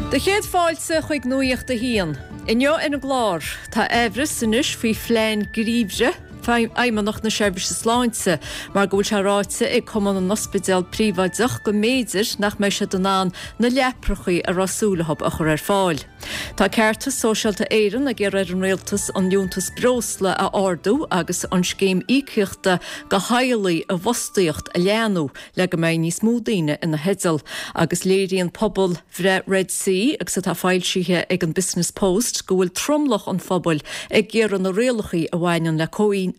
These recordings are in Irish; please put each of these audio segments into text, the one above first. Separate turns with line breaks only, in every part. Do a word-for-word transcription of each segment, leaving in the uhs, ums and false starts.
Do chéad fáilte chuig Nuacht a hAon. Inniu ar an gclár tá aimhreas anois faoi phlean geimhridh Fheidhmeannacht na Seirbhíse Sláinte mar go bhfuil sé ráite ag Cumann na nOspidéal Príobháideach go mb'fhéidir nach mbeidh siad in ann na leapacha a raibh súil leo a chur ar fáil. Tá Ceartas Sóisialta Éireann ag iarraidh ar an rialtas an liúntas breosla a ardú agus an scéim íocaíochta do theaghlaigh i bhfostaíocht a leathnú le go mbeidh níos mó daoine ina theideal agus léiríonn pobalbhreith Red C agus atá foilsithe ag an Business Post go bhfuil tromlach an phobail ag iarraidh na rialacha a bhaineann le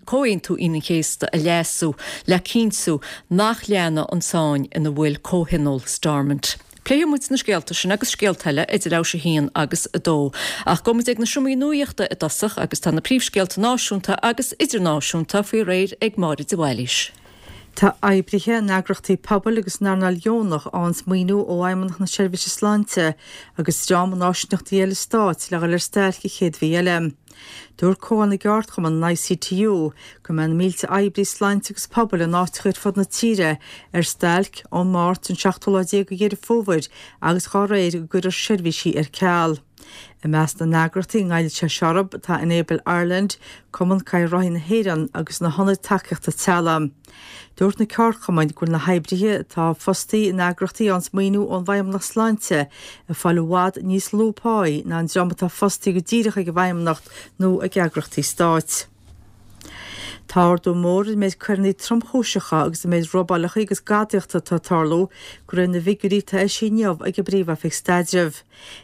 Comhaontú Aoine an Chéasta a leasú le cinntiú nach leanfaidh an tsáinn ina bhfuil comhthionól Stormont. Pléifidh muid na scéalta sin agus scéalta eile idir a haon agus a dó. Ach gabhfaidh muid ag na seomraí nuachta i dtosach agus tá na príomhscéalta náisiúnta agus idirnáisiúnta faoi réir ag Máire de Bhailís.
Tá oibrithe in eagraíochtaí pobail agus an earnáil dheonach ag fáil maoiniú ó Fheidhmeannacht na Seirbhíse Sláinte agus dream in áisíneachtaí eile stáit le dhul ar stailc an chéad mhí eile. Dúirt Comhdháil na gCeardchumann an ICTU go mbeidh na mílte oibrí sláinte agus pobail in áiteacha ar fud na tíre ar stailc ón Máirt an seachtú lá déag de Dheireadh Fómhair agus dá réir go gcuirfear seirbhísí ar ceal. I measc na n-eagraíochtaí a ngoillfidh sé seo orthu tá Enable Ireland, Cumann Cadhráthaí na hÉireann agus na hionaid tacaíochta teaghlaigh. Dúirt na ceardchumainn go bhfuil na hoibrithe atá fostaithe in eagraíochtaí a fhaigheanns maoiniú ón bhFeidhmeannacht Sláinte ag fáil i bhfad níos lú páí ná an dream atá fostaithe go díreach ag an bhFeidhmeannacht nó ag eagraíochtaí stáit. Tá ardú mór ar an méid coireanna tromchúiseacha agus an méid robálacha agus gadaíochta atá ag tarlú de réir na bhfigiúirí atá eisithe inniu ag an bPríomh-Oifig Staidrimh.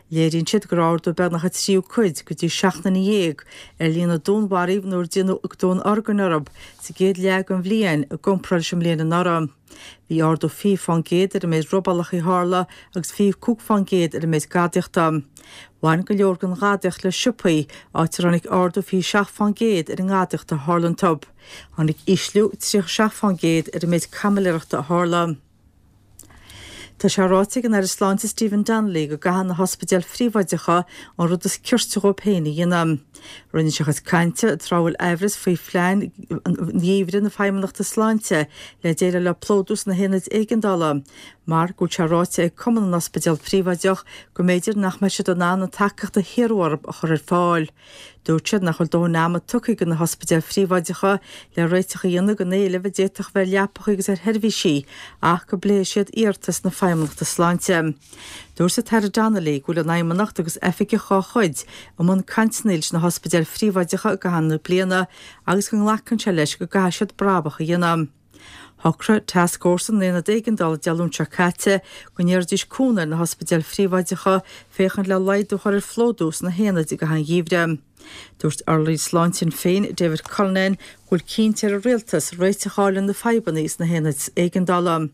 Léiríonn siad go raibh ardú beagnach an tríú cuid go dtí seacht nduine dhéag ar líon na dúnmharaithe nó ar déanadh dúnorgain orthu sa gcéad leath den bhliain i gcomparáid leis an mbliain anuraidh. Bhí ardú fiche fán gcéad ar an méid robálacha a tharla agus fiche cúig fán gcéad ar an méid gadaíochta. Bhain go leor den ghadaíocht le siopaí, áit ar tháinig ardú fiche seacht fán gcéad ar an ngadaíocht a tharla iontu. Tháinig ísliú tríocha seacht fán gcéad ar an méid caimiléireachta a tharla. Tá sé ráite ag an Aire Sláinte Stephen Donnelly go gcaithfidh na hospidéil phríobháideacha an rud is cirte dhóibh féin a dhéanamh. Rinne sé a chuid cainte tráth a bhfuil aimhreas faoi phlean gheimhridh na Feidhmeannachta Sláinte le déileáil le plódú sna haonaid éigeandála, mar go bhfuil sé ráite ag Cumann na nOspidéal Príobháideach go mb'fhéidir nach mbeidh siad in ann an tacaíocht a hiarradh orthu a chur ar fáil. Dúirt siad nach bhfuil dóthain ama tugtha do na hospidéil phríobháideacha le réiteach a dhéanamh don éileamh a d'fhéadfadh a bheith ar leapacha agus ar sheirbhísí ach go bpléifidh siad iarratas na Feidhmeannachta Sláinte. Dúirt an tAire Donnelly go bhfuil an Fheidhmeannacht agus oifigigh dá chuid i mbun cainteanna leis na hospidéil phríobháideacha i gcaitheamh na bliana agus go nglacann sé leis go gcaithfidh siad brabach a dhéanamh. Shocraigh Tascfhórsa na nAonad Éigeandála Dé Luain seo caite go n-iarrfaidís cúnamh ar na hospidéil phríobháideacha féachaint le laghdú a chur ar phlódú sna haonaid i gcaitheamh an gheimhridh. Dúirt urlabhraí sláinte Shinn Féin, David Cullinane, go bhfuil cinnte ar an rialtas réiteach a fháil ar na fadhbanna sna haonaid éigeandála.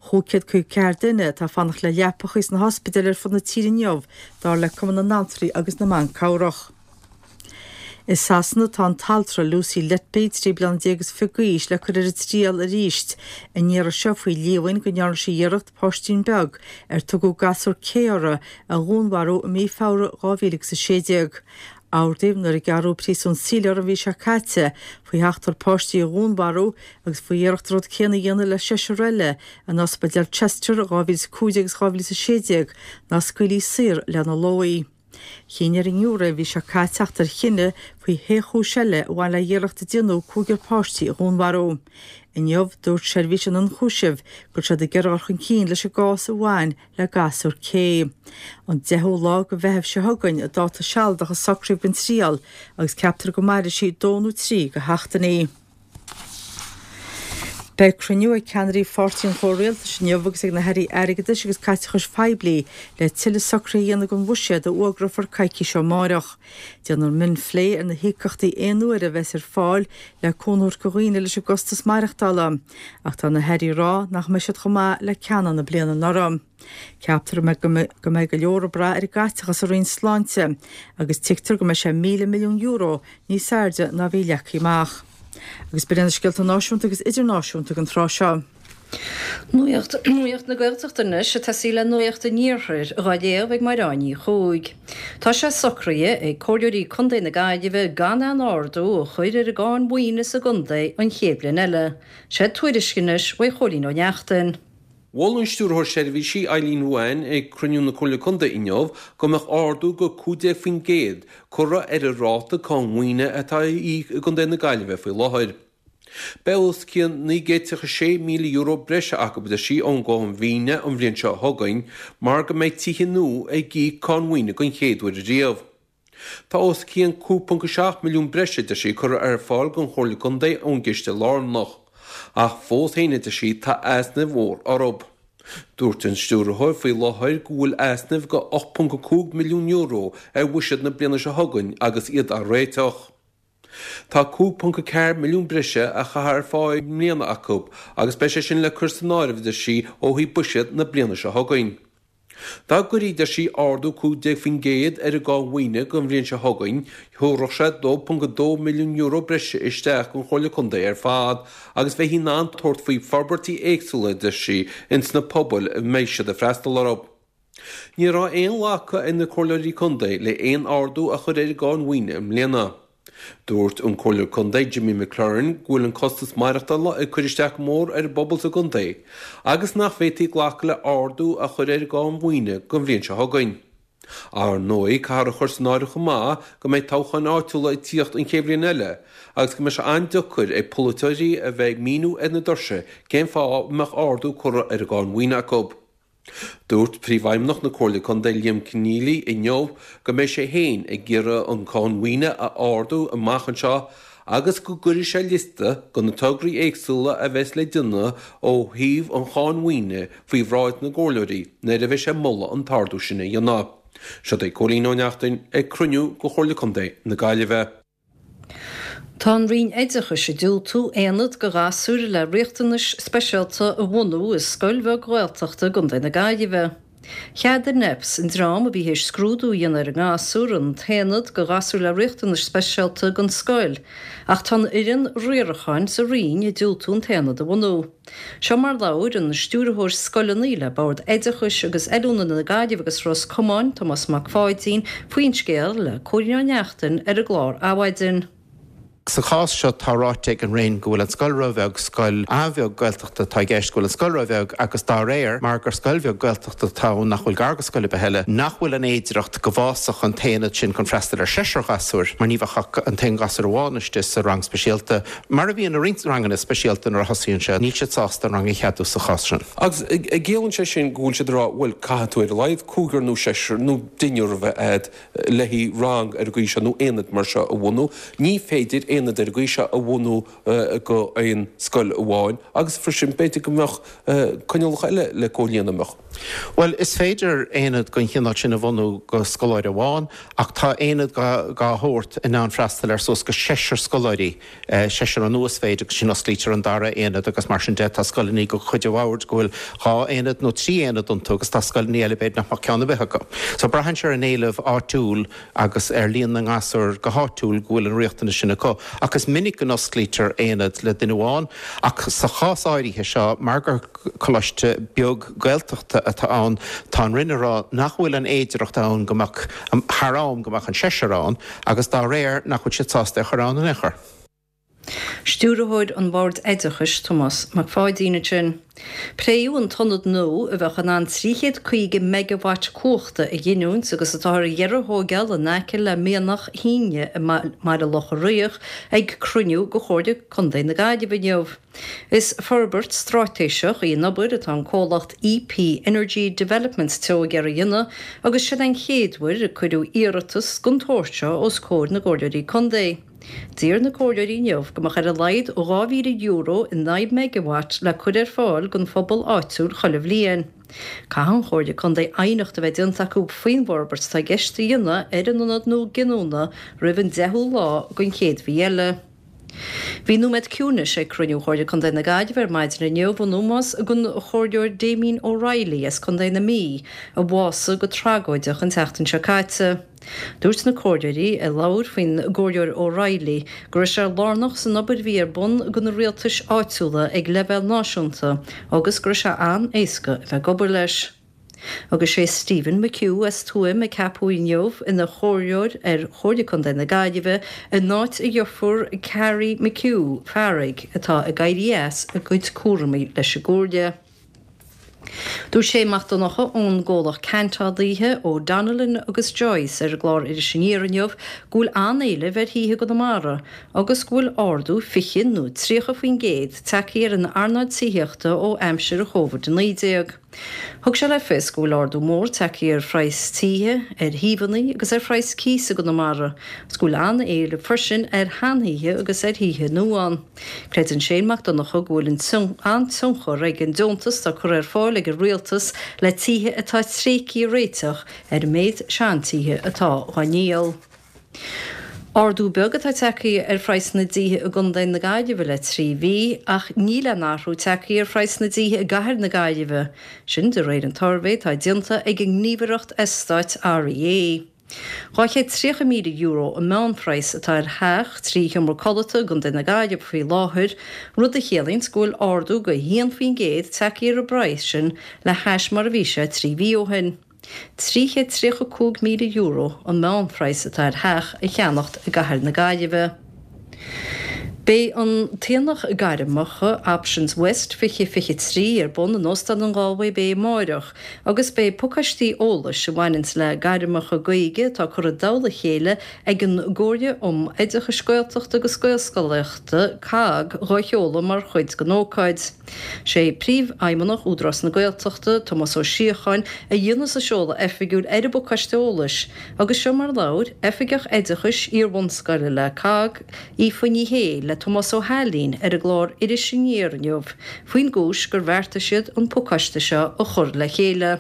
Cúig chéad caoga ceathair duine atá ag fanacht le leapacha sna hospidéil ar fud na tíre inniu, dar le Cumann na nAltraí agus na mBan Cabhrach. I Sasana tá an t-altra Lucy Letby, trí bliana déag is fiche d'aois, le cur ar an triail arís an iarraidh seo faoi líomhain go ndearna sí iarracht páistín beag ar tugadh gasúr Kay uirthi a dhúnmharú i mí Feabhra dhá mhíle agus a sé déag. Ardaíodh nuair a gearradh príosún saoil uirthi an mhí seo caite faoi sheachtar páistí a dhúnmharú agus faoi iarracht an rud céanna a dhéanamh le seisear eile in ospidéal Chester i dhá mhíle is a cúig déag agus dhá mhíle is a sé déag nár scaoileadh saor lena lóí. Chinn ar an ngiúiré an mhí seo caite teacht ar chinneadh faoi shé chúis eile a bhain le hiarracht a déanadh cúigear páistí a dhúnmharú. Inniu, dúirt Seirbhís an Ionchúisimh go bhfuil siad ag iarraidh dul chun cinn leis an gcás a bhain le gasúr Kay. An deichiú lá de Mheitheamh seo chugainn an dáta sealadach a socraíodh don triail agus ceaptar go mairfidh sí dó nó trí de sheachtainí. Beidh cruinniú ag ceannairí Pháirtí an Chomhrialtais inniu agus ag na hairí airgeadais agus caiteachais phoiblí le tuilleadh socruithe a dhéanamh don bhuiséad a fhógrófar coicís ó amárach. Déanfar mionphlé ar na híocaíochtaí aon uaire a bheas ar fáil le cúnamh a thabhairt do dhaoine leis an gcostas maireachtála, ach tá na hairí ag rá nach mbeidh siad chomh maith le ceanna na bliana anuraidh. Ceaptar go mbeidh go leor ag brath ar an gcaiteachas sa Roinn Sláinte agus tuigtear go mbeidh sé míle milliún euro níos airde ná a bhí leagtha amach. Agus b'in iad na scéalta náisiúnta agus idirnáisiúnta don tráth seo.
Nuacht na Gaeltachta anois, ag tosaí le Nuacht an Iarthair, dhá léamh ag Mairéad Ní Chuaig. Tá sé socraithe ag Comhairleoirí Contae na Gaillimhe gan aon ardú a chur ar an gcáin mhaoine sa gcontae an chéad bhliain eile. Sé tuairisc anois uaidh Chóilín Ó Neachtain.
Mhol an Stiúrthóir Seirbhísí Eileen Ruane ag cruinniú na Comhairle Contae inniu go mbeadh ardú go cúig déag faoin gcéad curtha ar an ráta cáin mhaoine atá á íoc i gContae na Gaillimhe faoi láthair. Beidh os cionn naoi gcéad tríocha sé míle euro breise acu, a deir sí, ón gcáin mhaoine an bhliain seo chugainn mar go mbeidh tithe nua ag íoc cáin mhaoine den chéad uair riamh. Tá os cionn cúig ponc a seacht milliún breise, a deir sí, curtha ar fáil don Chomhairle Contae ón gCiste Lárnach. Ach fós féin, a deir sí, tá easnaimh mhór orthu. Dúirt an Stiúrthóir faoi láthair go bhfuil easnaimh go ocht ponc a cúig milliún euro ar bhuiséad na bliana seo chugainn agus iad á réiteach. Tá cúig ponc a ceathair milliún breise á chur ar fáil i mbliana acu agus beidh sé sin le cur san áireamh, a deir sí, ó thaobh buiséad na bliana seo chugainn. Dá gcuirí, deir sí, ardú cúig déag faoin gcéad ar an gcáin mhaoine don bhliain seo chugainn, thabharfadh sé dó ponc a dó milliún euro breise isteach don Chomhairle Contae ar fad agus bheifí in ann tabhairt faoi forbairtí éagsúla, a deir sí, ins na pobail a mbeidh siad ag freastal orthu. Ní raibh aon ghlacadh ag na Comhairleoirí Contae le haon ardú a chur ar an gcáin mhaoine i mbliana. Dúirt an Comhairleoir Contae Jimmy McLaurin go bhfuil an costas maireachtála ag cur isteach go mór ar an bpobal sa gcontae agus nach bhféadfaí glacadh le ardú a chur ar an gcáin mhaoine don bhliain seo chugainn. Ar ndóigh, caithfear a chur san áireamh chomh maith go mbeidh toghcháin áitiúla ag tíocht an chéad bhliain eile agus go mbeidh sé an-deacair ag polaiteoirí a bheith ag míniú ar na doirse cén fáth a mbeadh ardú curtha ar an gcáin mhaoine acu. Dúirt Príomhfheidhmeannach na Comhairle Contae Liam Conneally inniu go mbeidh sé féin ag iarraidh an cáin mhaoine a ardú amach anseo agus go gcuirfidh sé liosta de na tograí éagsúla a bheas le déanamh ó thaobh an cháin mhaoine faoi bhráid na gcomhairleoirí nuair a bheidh sé ag moladh an t-ardú sin a dhéanamh. Seo é Cóilín Ó Neachtain ag cruinniú de Chomhairle Contae na Gaillimhe.
Tá an Roinn Oideachais ag diúltú aonad do ghasúir le riachtanais speisialta a bhunú i scoil bheag Ghaeltachta i gContae na Gaillimhe. Cheadaigh N E P S, an dream a bhí théis scrúdú a dhéanamh ar an ngasúr, an t-aonad do ghasúir le riachtanais speisialta don scoil, ach tá an fhoireann riaracháin sa Roinn ag diúltú an t-aonad a bhunú. Seo mar labhair an Stiúrthóir Scoileanna le Bord Oideachais agus Oiliúna na Gaillimhe agus Ros Comáin, Tomás Mac Pháidín, faoin scéal le Cóilín Ó Neachtain ar an gclár Adhmhaidin.
Sa chás seo tá ráite ag an Roinn go bhfuil an scoil róbheag, scoil an-bheag Gaeltachta atá i gceist, go bhfuil an scoil róbheag agus dá réir, mar gur scoil bheag Gaeltachta atá ann nach bhfuil gar go scoil ar bith eile, nach bhfuil an fhéidireacht go bhfásfadh an t-aonad sin chun freastal ar seisear gasúr mar ní bheadh ach an t-aon ghasúr amháin istigh sa rang speisialta. Mar a bhíonn i roinnt ranganna speisialta nuair a thosaíonn sé, níl siad sásta an rang a cheadú sa chás sin.
Agus ciallaíonn sé sin go bhfuil siad ag rá, bhuel, caithfidh tú ar a laghad cúigear nó seisear nó deichniúr a bheith agat le haghaidh rang ar an gcaoi seo nó aonad mar seo a bhunú. Ní féidir aonad ar an gcaoi seo a bhunú go aon scoil amháin agus freisin b'fhéidir go mbeadh coinníollacha eile le comhlíonadh, an mbeadh?
Bhuel, is féidir aonad den chineál sin a bhunú go scoláire amháin ach tá aonad dá shórt in ann freastal ar suas go seisear scoláirí, seisear an uasmhéid agus sin osclaítear an dara aonad agus mar sin de tá scoileanna de chuid an bhoird go bhfuil dhá aonad nó trí aonad iontu agus tá scoileanna eile b'fhéidir nach mbeadh ceann ar bith acu. So braitheann sé ar an éileamh áitiúil agus ar líon na ngasúr go háitiúil go bhfuil an riachtanas sin acu. Ach is minic go n-osclaítear aonad le duine amháin ach sa chás áirithe seo mar gur coláiste beag Gaeltachta atá ann, tá an Roinn ag rá nach bhfuil an fhéidireacht ann go mbeadh, thar am, go mbeadh an seisear ann agus dá réir nach bhfuil siad sásta é a chur ann in aon chor.
Stiúrthóir an Bhoird Oideachais, Tomás Mac Pháidín ansin. Pléadh an t-ionad nua a bheadh in ann trí chéad caoga meigeawatt cumhachta a ghiniúint agus atá ar dheireadh a thóigeáil in aice le Mianach Shíne i mBaile Locha Riach ag cruinniú de Chomhairle Contae na Gaillimhe inniu. Is forbairt straitéiseach í an obair atá an comhlacht E P Energy Developments Teo ag iarraidh a dhéanamh agus sin an chéad uair a cuireadh iarratas den tsórt seo os comhair na gcomhairleoirí contae. D'iarr na comhairleoirí inniu go mbeadh ar a laghad dhá mhíle euro in aghaidh meigeawatt le cur ar fáil don phobal áitiúil chuile bhliain. Caithfidh an Chomhairle Contae aighneacht a bheith déanta acu faoin bhforbairt atá i gceist a dhéanamh ar an ionad nua giniúna roimh an deichiú lá den chéad mhí eile. Bhí nóiméad ciúinis ag cruinniú Chomhairle Contae na Gaillimhe ar maidin inniu in ómós don Chomhairleoir Damien O'Reilly as Contae na Mí a bhásaigh go tragóideach an tseachtain seo caite. Dúirt na comhairleoirí a labhair faoin gComhairleoir O'Reilly go raibh sé lárnach san obair a bhí ar bun ag na rialtais áitiúla ag leibhéal náisiúnta agus go raibh sé an-éasca a bheith ag obair leis. Agus sé Stephen McHugh as Tuaim a ceapadh inniu ina chomhairleoir ar Chomhairle Contae na Gaillimhe in áit a dheirfiúr Carrie McHugh, Fearaigh, atá ag éirí as a gcuid cúraimí leis an gComhairle. Dúirt Shane Mac Donncha ón gcomhlacht ceantálaithe O'Donnellan agus Joyce ar an gclár Iris Aniar inniu go bhfuil an-éileamh ar thithe i gConamara agus go bhfuil ardú fiche nó tríocha faoin gcéad tagtha ar an earnáil tithíochta ó aimsir Covid a naoi déag. Thug sé le fios go bhfuil ardú mór tagtha ar phraghas tithe, ar shuíomhanna agus ar phraghas cíosa i gConamara, agus go bhfuil an-éileamh freisin ar sheanthithe agus ar thithe nua ann. Creideann Shane Mac Donncha go bhfuil an-tionchar ag an deontas atá curtha ar fáil ag an rialtas le tithe atá tréigthe a réiteach ar an méid seantithe atá á ndíol. Ardú beag atá tagtha ar phraghas na dtithe i gContae na Gaillimhe le trí mhí, ach níl aon athrú tagtha ar phraghas na dtithe i gcathair na Gaillimhe. Sin de réir an tsuirbhé atá déanta ag an ngníomhaireacht eastáit REA. Dhá chéad tríocha míle euro an meánphraghas atá ar theach trí sheomra codlata i gContae na Gaillimhe faoi láthair, rud a chiallaíonn go bhfuil ardú de haon faoin gcéad tagtha ar an bpraghas sin le hais mar a bhí sé trí mhí ó shin. Trí chéad tríocha cúig míle euro an meánphraghas atá ar theach a cheannacht i gcathair na Gaillimhe. Beidh an t-aonach gairmeacha Options West fiche fiche trí ar bun in Óstán an Galway Bay amáireach agus beidh pacáistí eolais a bhaineanns le gairmeacha Gaeilge atá curtha i dtoll a chéile ag an gComhairle um Oideachais Gaeltachta agus Gaelscolaíochta, COGG, dhá sheoladh mar chuid den ócáid. Sé Príomhfheidhmeannach Údarás na Gaeltachta, Tomás Ó Síocháin, a dhéanfas an seoladh oifigiúil ar an bpacáiste eolais agus seo mar a labhair Oifigeach Oideachais Iar-bhunscoile le COGG, Aoife Ní Shé, le Tomás Ó hAilín ar an gclár Iris Aniar inniu faoin gcúis gur bheartaigh siad an pacáiste seo a chur le chéile.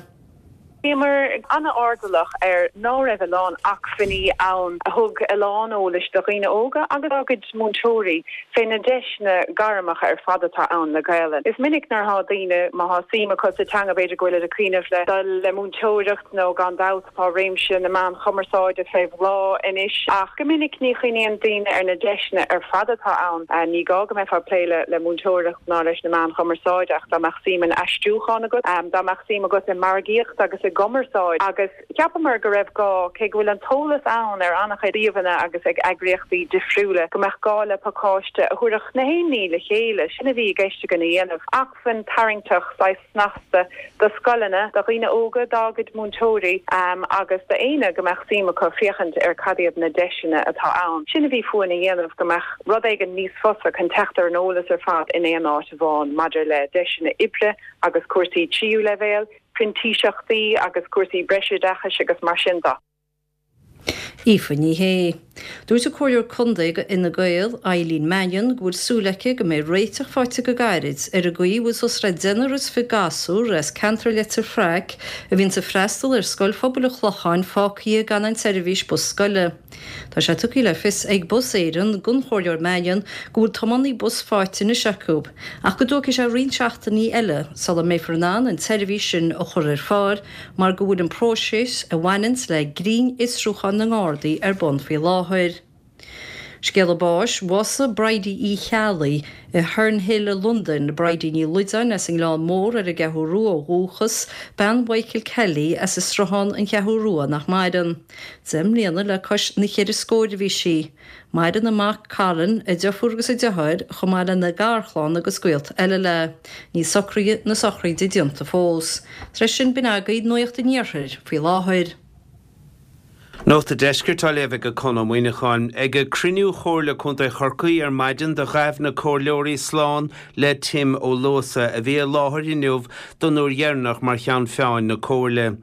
Bhíomar an-airdeallach ar ná raibh a lán acmhainní ann a thug a lán eolais do dhaoine óga agus dá gcuid múinteoirí fé na deiseanna gairmeacha ar fad atá ann le Gaelainn. Is minic nuair atá daoine, má thá suim acu sa teanga, b'fhéidir go bhfuilid ag cuimhneamh le dul le múinteoireacht nó gan dabht tá réimse na meán chumarsáide fé bhláth anois ach go minic ní chuimhníonn daoine ar na deiseanna ar fad atá ann. Ní gá go mbeifeá ag plé le le múinteoireacht ná leis na meáin chumarsáide ach dá mbeadh suim in aistriúchán agat, dá mbeadh suim agat i margaíocht agus i gcumarsáid agus cheapamar go raibh gá, cé go bhfuil an t-eolas ann ar an-chuid suíomhanna agus ag eagraíochtaí difriúla, go mbeadh gá le pacáiste a thabharfadh na haon ní le chéile. Sin a bhí i gceist againn a dhéanamh, acmhainn tarraingteach, saghas snasta do scoileanna, do dhaoine óga, dá gcuid múinteoirí agus d'éinne go mbeadh suim acu féachaint ar cad iad na deiseanna atá ann. Sin a bhí fúinn a dhéanamh, go mbeadh rud éigin níos fusa chun teacht ar an eolas ar fad in aon áit amháin maidir le deiseanna oibre agus cúrsaí tríú leibhéal, printíseachtaí agus cúrsaí breisoideachais agus mar sin de.
Aoife Ní Shé. Dúirt an Comhairleoir Contae do Fhine Gael, Eileen Mannion, go bhfuil súil aici go mbeidh réiteach faighte go gairid ar an gcaoi a bhfuil suas le deichniúr is fiche gasúr as ceantar Leitir Fraic a bhíonns ag freastal ar Scoil Phobail an Chlocháin fágtha gan an tseirbhís bus scoile. Tá sé tugtha le fios ag Bus Éireann don Chomhairleoir Mannion go bhfuil tiománaí bus faighte anois acu ach go dtógfaidh sé roinnt seachtainí eile sula mbeifear in ann an tseirbhís sin a chur ar fáil mar go bhfuil an próiseas a bhaineanns le grinnfhiosrúchán na nGardaí ar bun faoi láthair. Scéala báis, Bhásaigh Bridie Uí Cheallaigh i Herne Hill i Londain, Bridie Ní Loideáin as an nGleann Mór ar an gCeathrú Rua ó dhúchas, bean Mhichael Kelly as an Sruthán, An Cheathrú Rua, nach maireann. Deich mbliana le cois na cheithre scóir a bhí sí. Maireann a mac Colin, a deirfiúr agus a deartháir, chomh maith lena garchlann agus gaolta eile léi. Níl socruithe na sochraide déanta fós. Tar éis sin, b'in agaibh Nuacht an Iarthair faoi láthair.
Nuacht an Deiscirt á léamh ag Conn Ó Muíneacháin. Ag cruinniú Chomhairle Contae Chorcaí ar maidin do ghabh na comhairleoirí slán le Tim Ó Luasa a bhí i láthair inniu don uair dheireanach mar cheann feadhain na Comhairle.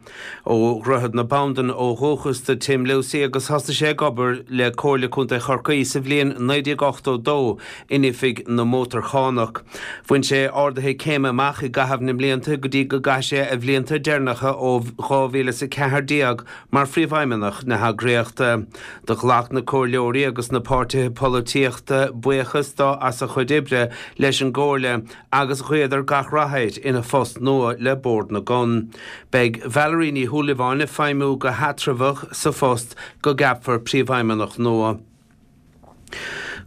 Ó Dhroichead na Bandan ó dhúchas do Tim Lucey agus thosaigh sé ag obair le Comhairle Contae Chorcaí sa bhliain naoi déag ochtó dó in Oifig na Mótarchánach. Bhain sé arduithe céime amach i gcaitheamh na mblianta go dtí go gcaith sé a bhlianta deireanacha ó dhá mhíle is a ceathair déag mar phríomhfheidhmeannach na heagraíochta. Do ghlac na comhairleoirí agus na páirtithe polaitíochta buíochas dó as a chuid oibre leis an gComhairle agus ghuíodar gach rath air ina phost nua le Bord na gCon. Beidh Valerie Ní Shúilleabháin ag feidhmiú go heatramhach sa phost go gceapfar príomhfheidhmeannach nua.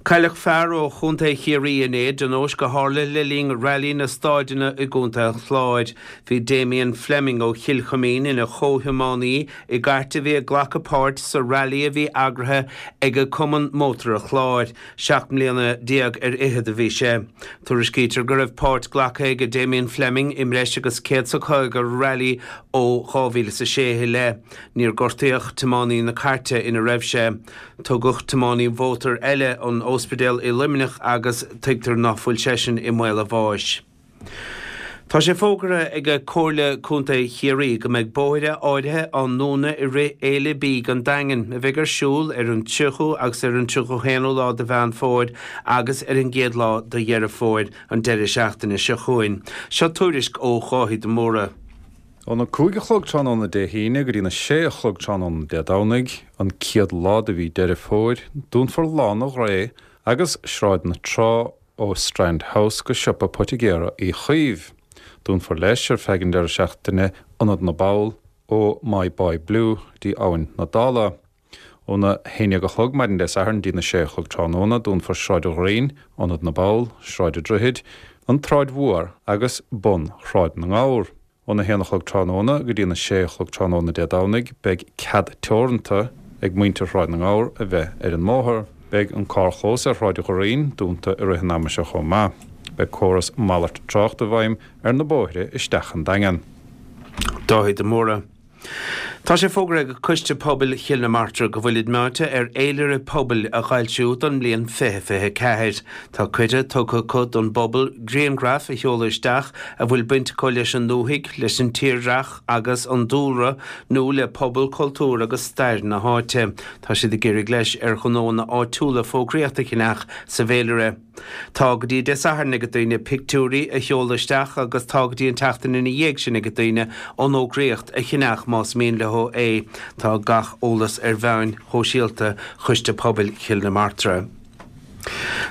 Cailleadh fear ó Chontae Chiarraí inné i dtionóisc a tharla le linn Railí na Staideanna i gContae an Chláir. Bhí Damien Fleming ó Chill Chuimín ina chomhthiománaí i gcairt a bhí ag glacadh páirt sa railí a bhí eagraithe ag Cumann Mótar an Chláir. Seacht mbliana déag ar fhichead a bhí sé. Tuairiscítear go raibh páirt glactha ag Damien Fleming i mbreis agus céad 's a caoga railí ó dhá mhíle is a sé i leith. Níor gortaíodh tiománaí na cairte ina raibh sé. Tugadh tiománaí mhótair eile 'on óspidéal i Luimneach agus tuigtear ná fuil seisean i mbaol a bháis. Tá sé fógartha ag Comhairle Contae Chiarraí go mbeidh bóithre áirithe á ndúnadh i rith Fhéile Bídh an Daingin, a bheidh ar siúl ar an tríochú agus ar an tríocha haonú lá de Mheán Fómhair agus ar an gcéad lá de Dheireadh Fómhair, an deireadh seachtaine seo chugainn. Seo tuairisc ó Dháithí de Mórdha.
Óna cúig a chlog tráthnóna Dé hAoine go dtína sé a chlog tráthnóna Dé Domhnaigh, an chéad lá de mhí Deireadh Fómhair, dúnfar Lána Ghré agus Sráid na Trá ó Strand House go siopa poitigéara Uí Chaoimh. Dúnfar leis ar feadh an deireadh seachtaine Ionad na bPoll ó My Boy Blue dtí Abhainn na Dála. Óna haon déag a chlog maidin Dé Sathairn dtína sé a chlog tráthnóna, dúnfar Sráid an Ghraín, Ionad na bPoll, Sráid an Droichid, an tSráid Mhór agus bun Shráid na nGabhar. Óna haon a chlog tráthnóna go dtína sé a chlog tráthnóna Dé Domhnaigh beidh cead teoranta ag muintir Shráid na nGabhar a bheith ar an mbóthar. Beidh an carrchlós ar Shráid an Ghraín dúnta i rith an ama seo chomh maith. Beidh córas malairt tráchta i bhfeidhm ar na bóithre isteach an Daingean.
Dáithí de Mórdha. Tá sé fógartha ag Coiste Pobail Chill na Martra go bhfuilid meáite ar fhéilire pobail a fhoilsiú don mbliain fiche fiche a ceathair. Tá cuireadh tugtha acu don bpobal grianghraif a sheoladh isteach a bhfuil baint acu leis an ndúthaigh, leis an tírdhreach agus an dúlra nó le pobal, cultúr agus stair na háite. Tá siad ag iarraidh leis ar ghnóanna áitiúla fógraíocht a cheannach sa bhféilire. Tá go dtí Dé Sathairn ag daoine pictiúirí a sheoladh isteach agus tá go dtí an tseachtain ina dhiaidh sin ag daoine an fhógraíocht a cheannach más mian leo é. Tá gach eolas ar mheáin shóisialta Choiste Pobail Chill na Martra.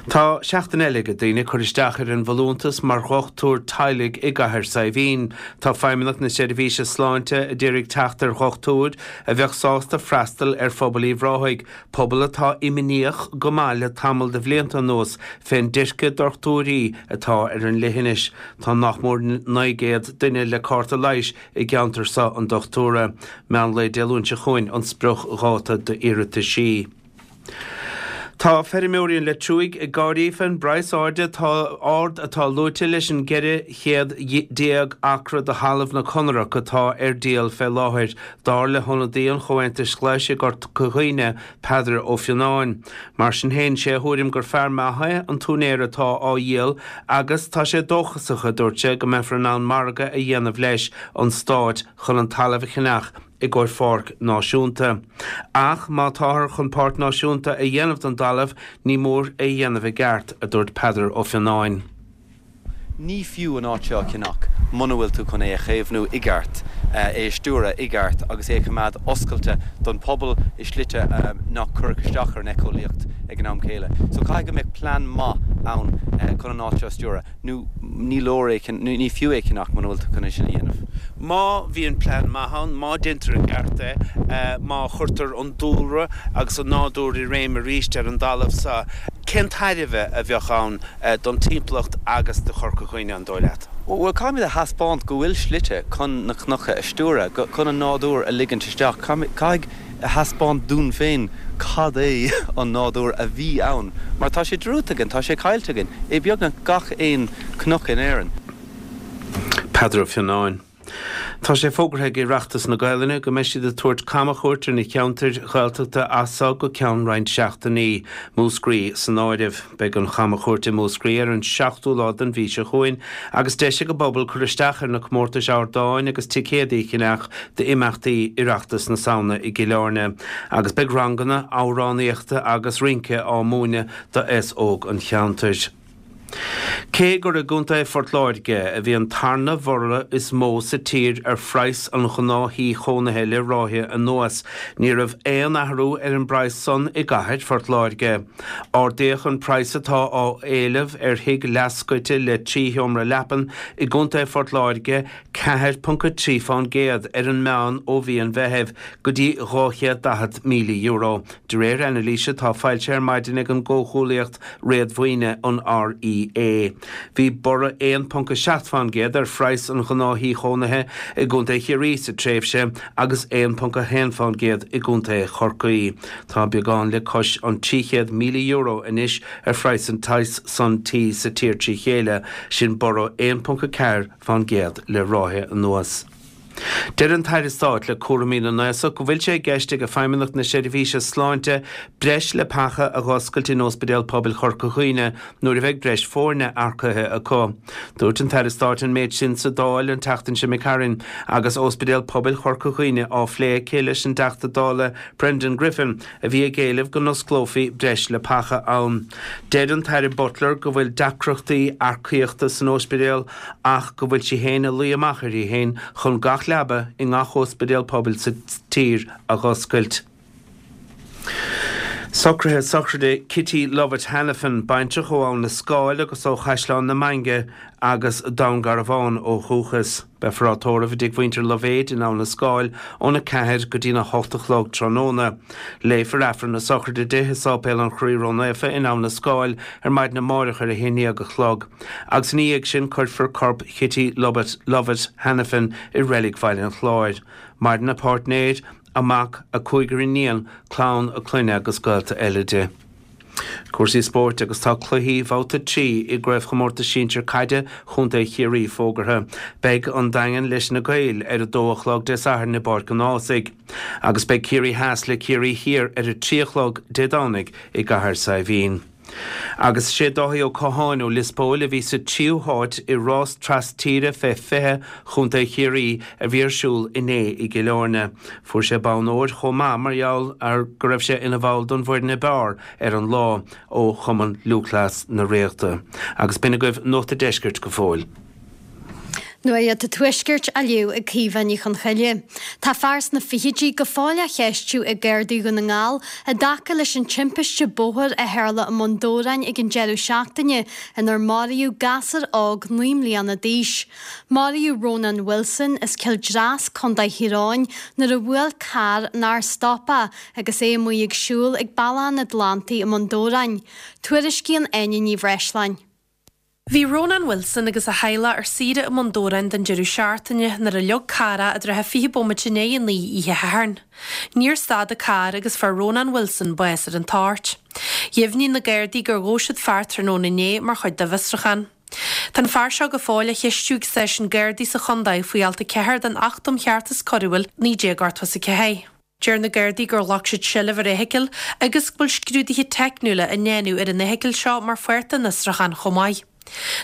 Tá seachtain eile ag daoine cur isteach ar an bhfolúntas mar dhochtúir teaghlaigh i gCathair Saidhbhín. Tá Feidhmeannacht na Seirbhíse Sláinte a d'iarraidh teacht ar dhochtúir a bheadh sásta freastal ar phobal Uíbh Ráthaigh, pobal atá imníoch go maith le tamall de bhlianta anuas fén dteirce dochtúirí atá ar an leithinis. Tá nach mór naoi gcéad duine le cárta leighis i gceantar seo an dochtúra. Meán lae Dé Luain seo chugainn an spriocdháta d'iarrataisí. Tá feirmeoirí an Leitriúigh ag gáirí fén bpraghas airde atá ard atá luaite leis an gceithre chéad déag acra de thalamh na Conarach atá ar díol fé láthair, dar le hionadaí an Chomhaontais Ghlais i gCorca Dhuibhne, Peadar Ó Fionnáin. Mar sin féin, sé a thuairim gur fear maith é an t-úinéir atá á dhíol agus tá sé dóchasach, a dúirt sé, go mbeifear in ann margadh a dhéanamh leis an Stát chun an talamh a cheannach i gcomhair pháirc náisiúnta. Ach má táthar chun páirc náisiúnta a dhéanamh den dtalamh, ní mór é a dhéanamh i gceart, a dúirt Peadar Ó Fionnáin.
Ní fiú an áit seo a cheannach muna bhfuil tú chun é a chaomhnú i gceart, é a stiúradh i gceart agus é a choimeád oscailte don phobal i slite nach gcuirfeadh isteach ar an éiceolaíocht ag an am céile. So caithfidh go mbeadh plean maith ann chun an áit seo a stiúradh. nó ní leor é, ní fiú é a cheannach muna bhfuil tú chun é sin a dhéanamh.
Má bhíonn plean maith ann, má deintear i gceart é, má chuirtear an dúlra agus an nádúr i réim arís ar an dtalamh so, cén tairbhe a bheadh ann don timpeallacht agus do Chorca Dhuibhne, an dóigh leat?
Bhuel, caithfimid a thaispeáint go bhfuil slite chun na cnoca a stiúradh, chun an nádúr a ligint isteach. Caithfidh. a thaispeáint dúinn féin cad é an nádúr a bhí ann, mar tá sé dearúdta againn, tá sé caillte againn, i beagnach gach aon chnoc in Éirinn.
Peadar Ó Fionnáin. Tá sé fógartha ag Oireachtas na Gaelainne go mbeidh siad ag tabhairt camchuairt ar na ceantair Ghaeltachta as seo go ceann roinnt seachtainí, Múscraí san áireamh. Beidh an chamchuairt i Múscraí ar an seachtú lá den mhí seo chugainn agus deis ag an bpobal cur isteach ar na comórtais ardáin agus ticéadaí a cheannach d'imeachtaí Oireachtas na Samhna i gCill Airne agus beidh ranganna amhránaíochta agus rince á múineadh d'aos óg an cheantair. Cé gur i gContae Phort Láirge a bhí an tarna bhorradh is mó sa tír ar phraghas an ghnáth-thí chónaithe le ráithe anuas, ní raibh aon athrú ar an bpraghas san i gcathair Phort Láirge. Ardaíodh an praghas atá á éileamh ar thigh leathscoite le trí sheomra leapan i gContae Phort Láirge ceathair ponc a trí fán gcéad ar an meán ó mhí an Mheithimh go dtí dhá chéad daichead míle euro, de réir anailíse atá foilsithe ar maidin ag an gcomhghuaillíocht réadmhaoine, an REA. Bhí borradh aon ponc a seacht fán gcéad ar phraghas an ghnáth-thí chónaithe i gContae Chiarraí sa tréimhse agus aon ponc a haon fán gcéad i gContae Chorcaí. Tá beagán le cois an trí chéad míle euro anois ar phraghas an tsaghas san tí sa tír trí chéile, sin borradh aon ponc a ceathair fán gcéad le ráithe anuas. Deir an tAire Stáit le cúraimí na nAosach go bhfuil sé i gceist ag Feidhmeannacht na Seirbhíse Sláinte breis leapacha a dh'oscailt in Ospidéal Pobail Chorca Dhuibhne nuair a bheidh breis foirne earcaithe acu. Dúirt an tAire Stáit an méid sin sa Dáil an tseachtain seo imigh tharainn agus Ospidéal Pobail Chorca Dhuibhne á phlé aici leis an dTeachta Dála Brendan Griffin a bhí ag éileamh go n-osclófaí breis leapacha ann. Deir an tAire Butler go bhfuil deacrachtaí earcaíochta san ospidéal ach go bhfuil sí féin ag luí amach uirthi féin chun gach leaba i ngach ospidéal pobail sa tír a dh'oscailt. Socruithe sochraide Kitty Lovett Hanafin, baintreach ó Abhainn na Scáil agus ó Chaisleán na Mainge agus Dún Garbhán ó dhúchas. Beifear á tórramh i dtigh mhuintir Loibhéid in Abhainn na Scáil óna ceathair go dtína hocht a chlog tráthnóna. Léifear Aifreann na sochraide di i Sáipéal an Chroí Ró-Naofa in Abhainn na Scáil ar maidin amárach ar a haon déag a chlog agus ina dhiaidh sin cuirfear corp Chitty Lovett Lovett Hanafin i Reilig Bhaile an Chláir. Maireann a páirtnéir, a mac, a cúigear iníon, clann a clainne agus gaolta eile di. Cúrsaí spóirt agus tá cluichí Bhabhta trí i gCraobhchomórtas Sinsir Caide Chontae Chiarraí fógartha. Beidh an Daingean leis na Gaeil ar a dó a chlog Dé Sathairn i bPáirc an Ághasaigh agus beidh Ciarraí Theas le Ciarraí Thiar ar a trí a chlog Dé Domhnaigh i gCathair Saidhbhín. Agus sé Dáithí Ó Catháin ó Lios Póil a bhí sa tríú háit i rás tras tíre fé fiche Chontae Chiarraí a bhí ar siúl inné i gCill Airne. Fuair sé bonn óir chomh maith mar gheall ar go raibh sé ina bhall don bhfoireann ab fhearr ar an lá ó Chumann Lúthchleas na Ríochta. Agus b'in agaibh Nuacht a' Deiscirt go fóill.
Nuacht an Tuaiscirt á léamh ag Caoimhe Ní Chonchoille. Tá fear sna fichidí go fóill á cheistiú ag Gardaí Dhún na nGall i dtaca leis an timpiste bóthair a tharla i mBun Dobhráin ag an deireadh seachtaine inar maraíodh gasúr óg naoi mbliana d'aois. Maraíodh Rónán Wilson as Cill Dreas, Contae Thír Eoghain, nuair a bhuail carr nár stop é agus é amuigh ag siúl ag Bealach an Atlantaigh i mBun Dobhráin. Tuairiscíonn Áine Ní Bhreisleáin.
Bhí Rónán Wilson agus a theaghlach ar saoire i mBun Dobhráin don deireadh seachtaine nuair a leag carr é i dtrátha fiche bomaite i ndiaidh a naoi oíche Shathairn. Níor stad an carr agus fuair Rónán Wilson bás ar an toirt. Dheimhnigh na Gardaí gur ghabh siad fear tráthnóna inné mar chuid dá bhfiosrúchán. Tá an fear seo go fóill á cheistiú ag stáisiún Gardaí sa chontae faoi alt a ceathair den Acht um Cheartas Coiriúil naoi déag ochtó is a ceathair. Deir na Gardaí gur ghlac siad seilbh ar fheithicil agus go bhfuil scrúduithe teicniúla á ndéanamh ar an fheithicil seo mar pháirt den fhiosrúchán chomh maith.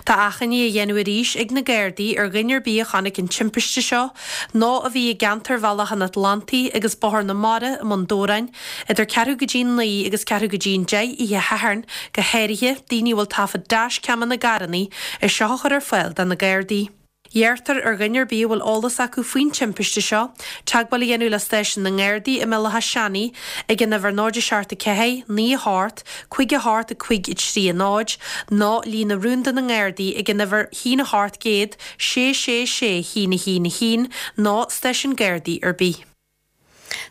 Tá achainí á dhéanamh arís ag na Gardaí ar dhuine ar bith a chonaic an timpiste seo nó a bhí i gceantar Bhealach an Atlantaigh agus Bóthar na Mara i mBun Dobhráin idir ceathrú go dtí a naoi agus ceathrú go dtí an deich oíche Shathairn, go háirithe daoine a bhfuil taifead dashcam ina gcarranna, é seo a chur ar fáil do na Gardaí. Iarrtar ar dhuine ar bith a bhfuil eolas acu faoin timpiste seo, teagmháil a dhéanamh le stáisiún na nGardaí i mBéal Átha Seanaidh ag an uimhir náid a seacht a ceathair, naoi a hocht, cúig a hocht a cúig a trí a náid, nó líne rúnda na nGardaí ag an uimhir haon a hocht gcéad, sé sé sé haon a haon a haon, nó stáisiún Gardaí ar bith.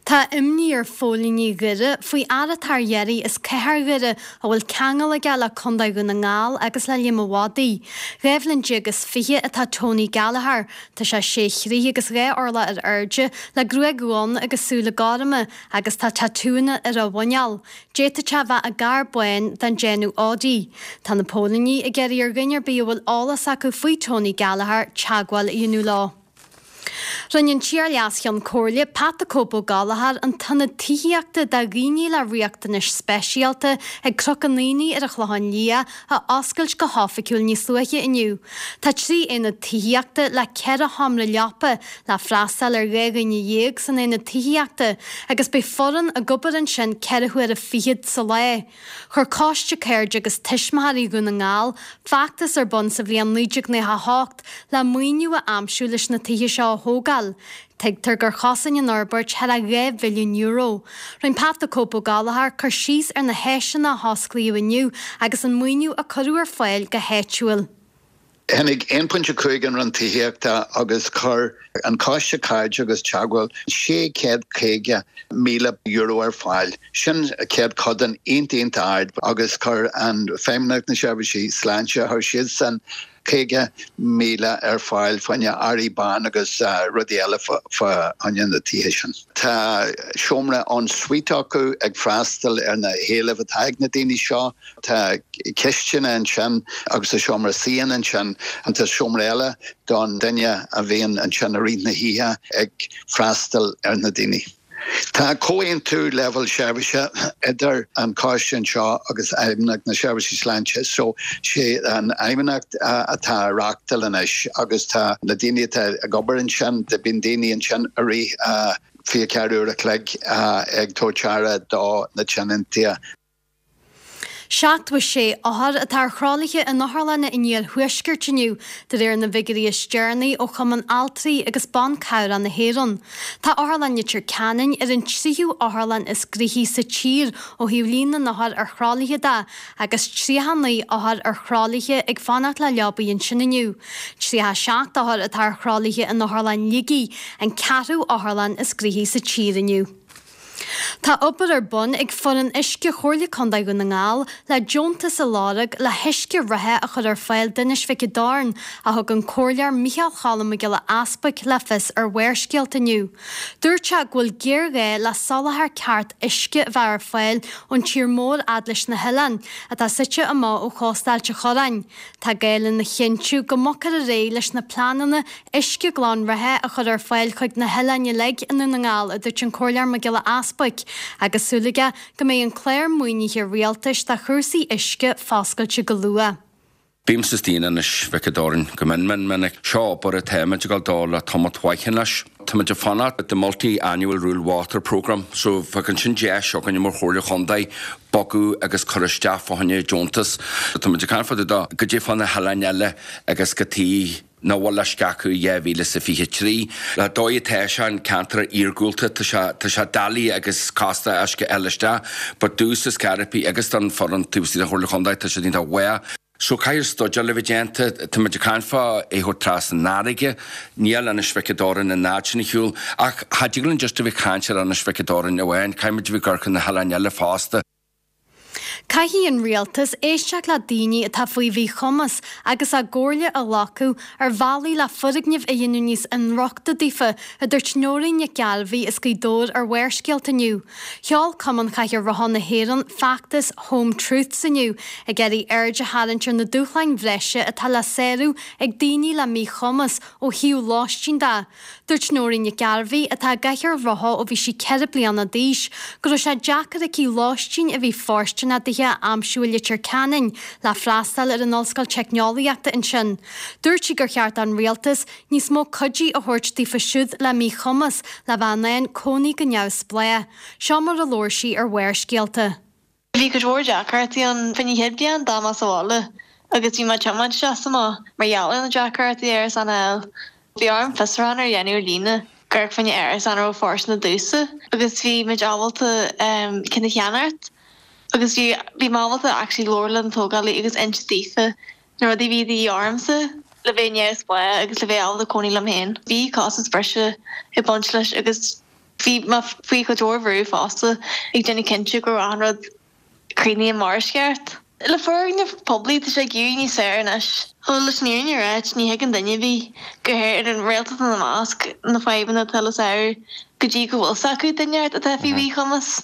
Tá imní ar phóilíní Dhoire faoi fhear atá ar iarraidh as Cathair Dhoire a bhfuil ceangal aige le Contae Dhún na nGall agus le Liam a' Mhadaidh. Dhá bhliain déag is fiche atá Tony Gallagher. Tá sé sé throigh agus dhá orlach ar airde, le gruaig dhonn agus súile gorma agus tá tatúanna ar a mhuineál. D'fhéadfadh sé a bheith i gcarr bán den déanamh Audi. Tá na póilíní ag iarraidh ar dhuine ar bith a bhfuil eolas acu faoi Tony Gallagher teagmháil a dhéanamh leo. Rinne an t-iar-Leas-Cheann Comhairle, Pat 'The Cope' Ó Gallchóir an t-ionad tithíochta do dhaoine le riachtanais speisialta ag Cnoc an Aonaigh ar an Chlochán Liath a oscailt go hoifigiúil níos luaithe inniu. Tá trí aonad tithíochta le ceithre sheomra leapa le freastal ar dhá dhuine dhéag san aonad tithíochta agus beidh foireann ag obair ansin ceithre huaire fichead sa lá. Chuir Coiste Cairde agus Tuismitheoirí Dhún na nGall feachtas ar bun sa bhliain naoi déag nócha a hocht le maoiniú a aimsiú leis na tithe seo a thógáil. Tuigtear gur chosain an fhorbairt thar a dhá mhilliún euro. Rinne Pat 'The Cope' Ó Gallchóir cur síos ar na háiseanna a hosclaíodh inniu agus an maoiniú a cuireadh ar fáil go háitiúil.
Tháinig aon pointe cúig an Roinn Tithíochta agus chuir an Coiste Cairde agus Teagmháil sé chéad caoga míle euro ar fáil. Sin céatadán iontach iontach ard agus chuir an Feidhmeannacht na Seirbhísí Sláinte, chuir siadsan caoga míle ar fáil fá choinne earraí ban agus rudaí eile fá choinne na tithe sin. Tá seomra en suite acu ag freastal ar na héilimh atá ag na daoine seo. Tá cistin ansin agus tá seomra suí ansin an tá seomra eile don duine a bhíonn ansin i rith na hoíche ag freastal ar na daoine. Tá comhaontú leibhéal seirbhíse idir an coiste anseo agus Fheidhmeannacht na Seirbhísí Sláinte so sé an Fheidhmeannacht atá ag reáchtáil anois agus tá na daoine atá ag obair ansin, bíonn daoine ansin i rith fiche ceathair uair a chloig ag tabhairt aire do na tionóntaí.
Seachtó a sé othar atá ar thralaithe in otharlanna an iarthuaiscirt inniu, de réir na bhfigiúirí is deireanaí ó Chumann Altraí agus Ban Cabhrach na hÉireann. Tá Otharlann Leitir Ceanainn ar an tríú otharlann is gnoithí sa tír ó thaobh líon na n-othar ar thralaithe de, agus tríocha naoi othar ar thralaithe ag fanacht le leabaí ansin inniu. Tríocha seacht othar atá ar thralaithe in Otharlann Shligigh, an ceathrú otharlann is gnoithí sa tír inniu. Tá obair ar bun ag foireann uisce Chomhairle Contae Dhún na nGall le deontas a lorg le huisce reatha a chur ar fáil d'Inis Mhic an Doirn, a thug an Comhairleoir Micheál Cholm Mac Giolla Easbuic le fios ar Bharrscéalta inniu. Dúirt sé go bhfuil géarghá le soláthar ceart uisce a bheith ar fáil ón tír mór fhad leis na hoileáin, atá suite amach ó chósta Ailt an Chorráin. Tá gá lena chinntiú go mbogfar ar aghaidh leis na pleananna uisce glan reatha a chur ar fáil chuig na hoileáin uilig i nDún na nGall, a dúirt an Comhairleoir Mac Giolla Easbuic, agus súil aige go mbeidh an clár maoinithe rialtais do chúrsaí uisce foscailte go luath.
Bímse istigh in Inis Mhic an Doirn go mion mion minic. Seo obair atáimid ag dul dó le tamall mhaith anois. Táimid ag fanacht the Multi-Annual Rural Water Programme, so bheadh ansin deis againn mar Chomhairle Chontae bogadh agus cur isteach fá choinne deontas. Táimid ag caint fá dtaobh de goidé fá na hoileáin eile agus go tí nach bhfuil uisce acu i dhá mhíle is a fiche trí. Le dóigh atá sé an ceantar iargúlta tá sé tá sé doiligh agus casta uisce a fháil isteach but domhsa is Carapí agus don foireann taobh istigh den Chomhairle Chontae tá siad iontach mhaith. So caithfidh stuidéal a bheith déanta, tá muid ag caint fá é thabhairt trasna an fharraige, níl Inis Mhic an Doirn an fhad sin ar shiúl ach cha dtig linn just a bheith ag caint ar Inis Mhic an Doirn amháin, caithfidh muid a bheith ag amharc ar na hoileáin eile fosta.
Caithfidh an rialtas éisteacht le daoine atá faoi mhíchumas agus a gcomhairle a ghlacadh ar bhealaí le foirgnimh a dhéanamh níos inrochtana daofa, a dúirt Nóirín Nic Gairbhí as Gaoth Dobhair ar Bharrscéalta inniu. Sheol Cumann Chathaoir Rotha na hÉireann feachtas Home Truths inniu, ag iarraidh aird a tharraingt ar na dúshláin bhreise atá le sárú ag daoine le míchumas ó thaobh lóistín de. Dúirt Nóirín Nic Gairbhí, atá i gcathaoir rotha ó bhí sí ceithre bliana d'aois, go raibh sé deacair aici lóistín a bhí fóirsteanach dithe a aimsiú i Leitir Ceanainn le freastal ar an Ollscoil Teicneolaíochta ansin. Dúirt sí gur cheart don rialtas níos mó cuidí a thabhairt daofa siúd le míchumas le bheith in ann cónaí go neamhspleách. Seo mar a labhair sí ar Bharrscéalta.
Bhí cuid mhór deacrachtaí ann fá choinne chéad bliain dá mbeadh sa bhaile agus bhí mé ag tiomáint isteach is amach mar gheall ar na deacrachtaí árasán a fháil. Bhí orm fiosrúchán a dhéanamh ar líne ag amharc fá choinne árasán a raibh fóirsteanach domhsa agus bhí muid ábalta ceann a cheannacht agus bhí bhí mé ábalta actually labhairt le an tógálaí agus inse daofa na rudaí a bhí de dhíth ormsa le bheith neamhspleách agus le bheith ábalta cónaí liom féin. Bhí costas breise ag baint leis agus bhí mé faoi chuid mhór bhrú fosta ag déanamh cinnte go raibh achan rud críochnaithe mar is ceart. Le foirgnimh poiblí tá sé ag éirí níos fearr anois. Bhuel, leis an fhírinne a ráit, ní thuigeann duine ar bith, go háirithe an rialtas ina measc, na fadhbanna atá le sárú go dtí go bhfuil 's acu duine atá faoi mhíchumas.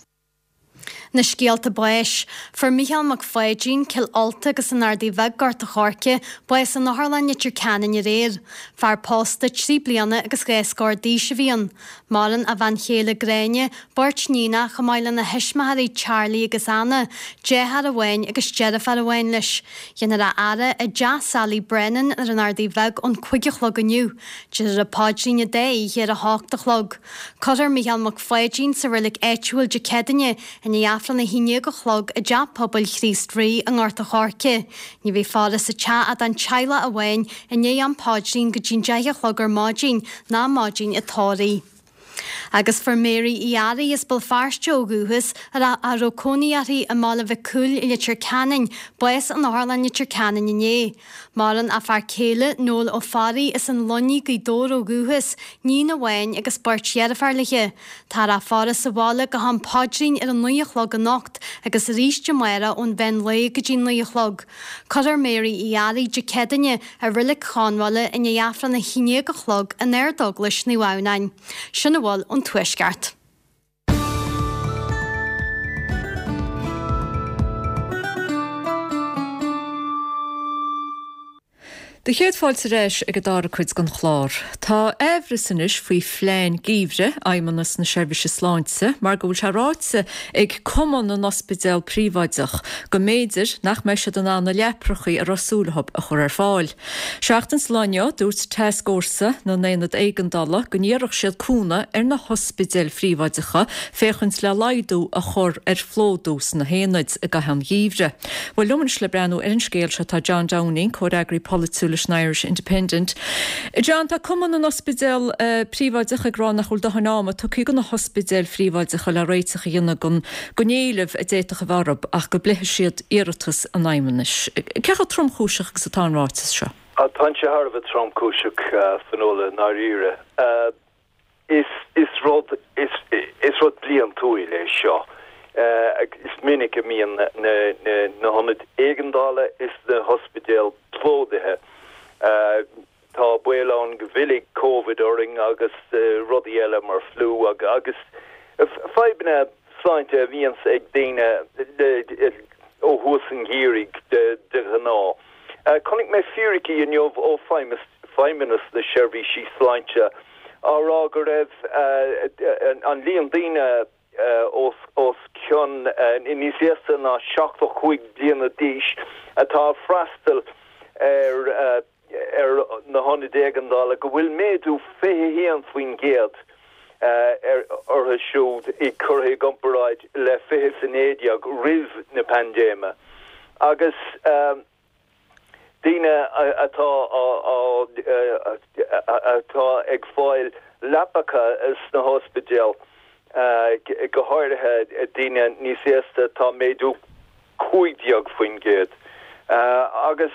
Na scéalta báis. Fuair Mícheál Mac Pháidín, Cill Ulta agus an Ardaidh Bheag, Gort a' Choirce, bás in Otharlann Leitir Ceanainn aréir. Fear pósta trí bliana agus dhá scór d'aois a bhí ann. Maireann a bhean chéile Gráinne, beirt níonacha chomh maith lena thuismitheoirí Charlie agus Anna, deartháir amháin agus deirfiúr amháin leis. Déanfar a fhaire i dteach Sally Brennan ar an Ardaidh Bheag ón cúig a chlog inniu. Déarfar an paidrín an dá oíche ar a hocht a chlog. Cuirfear Mícheál Mac Pháidín sa reilig áitiúil Dé Céadaoine i ndiaidh Aifreann a haon déag a chlog i dTeach Pobail Chríost Rí i nGort a' Choirce. Ní bheidh faire sa teach ach don teaghlach amháin i ndiaidh an phaidrín go dtí'n deich a chlog ar maidin ná maidin an tórraimh. Agus fuair Mary Uí Fhearraigh as Béal Feirste ó dhúchas, a raibh cónaí uirthi i mBaile Mhic Cumhaill i Leitir Ceanainn, bás in Otharlann Leitir Ceanainn inné. Maireann a fear céile, Noel Ó Fearraigh as an Luinnigh, Gaoth Dobhair ó dhúchas, níon amháin agus beirt dheirféar léi. Táthar á faire sa bhaile go ham paidrín ar a naoi a chlog anocht agus arís amárach ón mheán lae go dtí naoi a chlog. Cuirfear Mary Uí Fhearraigh Dé Céadaoine i Reilig Chonbhaile i ndiaidh Aifreann a haon déag a chlog in Ardeaglais Naomh Adhamhnáin. Sin a bhfuil ón Tuaisceart.
Do chéad fáilte ar ais ag an dara cuid den chlár. Tá aimhreas anois faoi phlean geimhridh Fheidhmeannas na Seirbhíse Sláinte mar go bhfuil sé ráite ag Cumann na nOspidéal Príobháideach go mb'fhéidir nach mbeidh siad in ann na leaprachaí a raibh súil acu a chur ar fáil. Seachtain sa lá inniu, dúirt Tascfhórsa na nAonad Éigeandála go n-iarrfadh siad cúnamh ar na hospidéil phríobháideacha féachaint le laghdú a chur ar phlódú sna haonaid i gcaitheamh an gheimhridh. Bhuel, liom anois le breathnú ar an scéal seo tá John Downing, comhfhreagraí polaitiúil leis an Irish Independent. John, tá Cumann na nOspidéal Príobháideach ag rá nach bhfuil dóthain ama tugtha do na hospidéil phríobháideacha le réiteach a dhéanamh don don éileamh a d'fhéadfadh a bheith orthu ach go bpléifidh siad iarratas an Fheidhmeannais. Cé chomh tromchúiseach agus atá an ráiteas seo?
Tá sé thar a bheith tromchúiseach, Fionnuala, i ndáiríre. Is is rud is is rud bliantúil é seo. Is minic a mbíonn na na na hionaid éigeandála is na hospidéil plódaithe. Tá baol ann go bhfillfidh Covid orainn agus rudaí eile mar fliú agus fadhbanna sláinte a bhíonns ag daoine ó thús an gheimhridh de ghnáth. Chonaic mé fíricí inniu ó Feidhmeannas na Seirbhísí Sláinte á rá go raibh an líon daoine os cionn, níos aosta ná seachtó cúig bliana d'aois atá ag freastal ar ar na hionaid éigeandála, go bhfuil méadú fiche haon faoin gcéad orthu siúd curtha i gcomparáid le fiche is a naoi déag roimh na paindéime agus daoine atá atá ag fáil leapacha sna hospidéil, go háirithe daoine níos aosta, tá méadú cúig déag faoin gcéad agus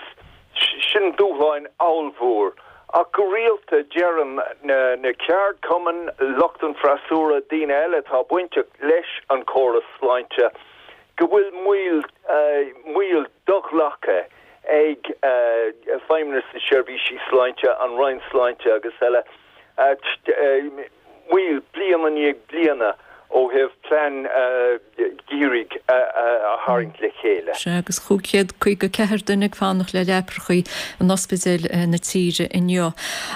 sin dúshláin ollmhór. Ach go rialta deireann na ceardchumainn, lucht an freasúra, daoine eile atá bainteach leis an chóras sláinte go bhfuil moill, moill do-ghlactha ag Feidhmeannas na Seirbhísí Sláinte, an Roinn Sláinte agus eile, moill bliain i ndiaidh bliana ó thaobh plean geimhridh a tharraingt le chéile.
Sea, agus cúig chéad caoga ceathair duine ag fanacht le leaprachaí in ospidéil na tíre inniu.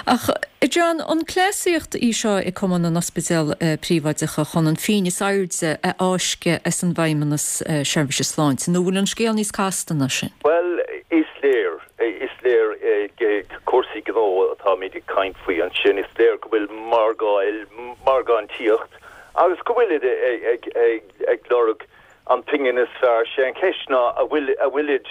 Ach, John, an cleasaíocht í seo ag Cumann na nOspidéal Príobháideacha chun an phingin is airde a fháisceadh as an bhFeidhmeannas Seirbhíse Sláinte, nó bhfuil an scéal níos casta ná sin?
Bhuel, is léir, is léir cúrsaí gnó atáimid ag caint faoi ansin, is léir go bhfuil margáil, margántaíocht agus go bhfuilid ag lorg an phingin is fearr. Sé an cheist ná a bhfuil, a bhfuilid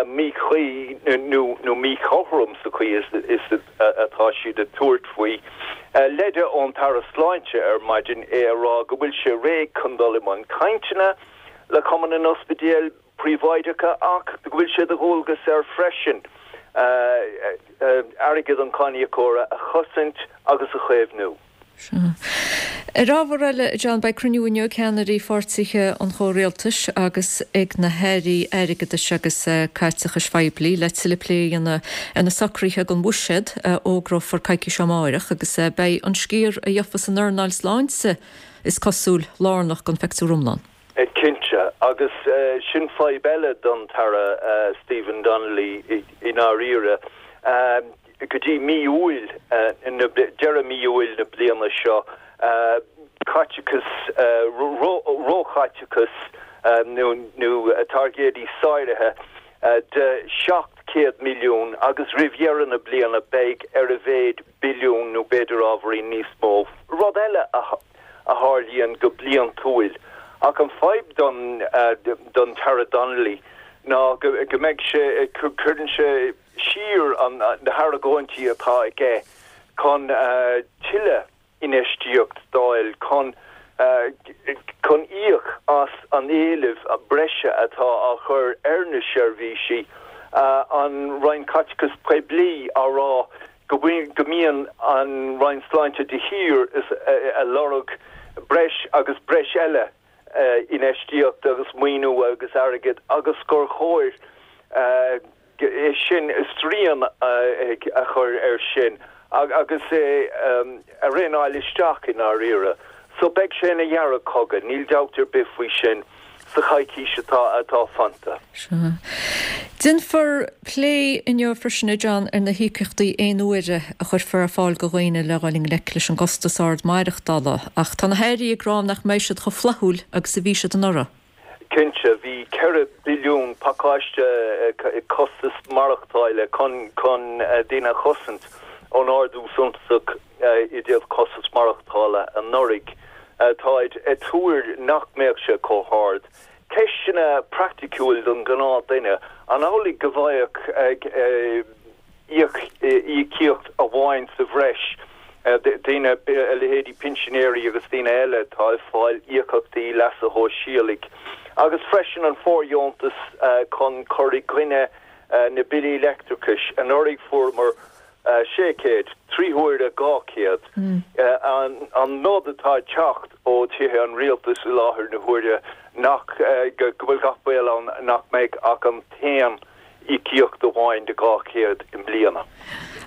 míchuí nó míchothrom sa chaoi is atá siad ag tabhairt faoi. Leide ón tAire Sláinte ar maidin é a rá go bhfuil sé réidh chun dul i mbun cainteanna le Cumann na nOspidéal Príobháideacha ach go bhfuil sé de dhualgas air freisin airgead an cháiníocóra a chosaint agus a chaomhnú.
Sea. Ar ábhar eile, John, beidh cruinniú inniu ag ceannairí pháirtithe an chomhrialtais agus ag na hairí airgeadais agus caiteachais phoiblí le tuilleadh plé a dhéanamh ar na socruithe don bhuiséad a fhógrófar coicís ó amárach agus beidh an sciar a gheofas an earnáil sláinte, is cosúil, lárnach don phictiúr iomlán.
Cinnte, agus sin fadhb eile don tAire Stephen Donnelly i ndáiríre. Go dtí mí Iúil, deireadh mí Iúil na bliana seo, caiteachas, róchaiteachas nó targaidí sáraithe de seacht céad milliún agus roimh dheireadh na bliana beidh ar a mhéad billiún nó b'fhéidir ábhairín níos mó. Rud eile a a tharlaíonn go bliantúil. Ach an fadhb don don tAire Donnelly ná go go mbeidh sé cuireann sé siar an na hargóintí atá aige chun tuilleadh infheistíocht d'fháil chun chun íoc as an éileamh breise atá á chur ar na seirbhísí, an Roinn Caiteachais Poiblí á rá go go mbíonn an Roinn Sláinte de shíor ag lorg breis agus breis eile infheistíocht agus maoiniú agus airgead agus gur chóir é sin srian a chur air sin agus é a rialáil isteach i ndáiríre. So beidh sé ina dheargchogadh, níl dabht ar bith faoi sin, sa choicís atá atá fanta.
Sea. Déanfar plé inniu freisin, a John, ar na híocaíochtaí aon uaire a chuirfear ar fáil do dhaoine le dhul i ngleic leis an gcostas ard maireachtála, ach tá na hairí ag rá nach mbeidh siad chomh flaithiúil agus a bhí siad anuraidh.
Cinnte, bhí ceithre billiún pacáiste costas maireachtála chun chun daoine a chosaint ón ardú suntasach i dtaobh costas maireachtála anuraidh. Táid ag tuar nach mbeadh sé chomh hard. Ceisteanna praiticiúil don ghnáth-duine, an amhlaidh go bhfaigheadh íocaíocht amháin sa bhreis daoine, a leithéidí pinsinéirí agus daoine eile atá ag fáil íocaíochtaí leasa shóisialaigh, agus freisin an fóirdheontas chun cur i gcoinne na billí leictreachais. Anuraidh fuaireamar sé chéad, trí huaire dhá chéad. An nod atá ag teacht ó Thithe an Rialtais i láthair na huaire nach go bhfuil gach baol ann nach mbeidh ach an t-aon íocaíocht amháin de dhá chéad i mbliana.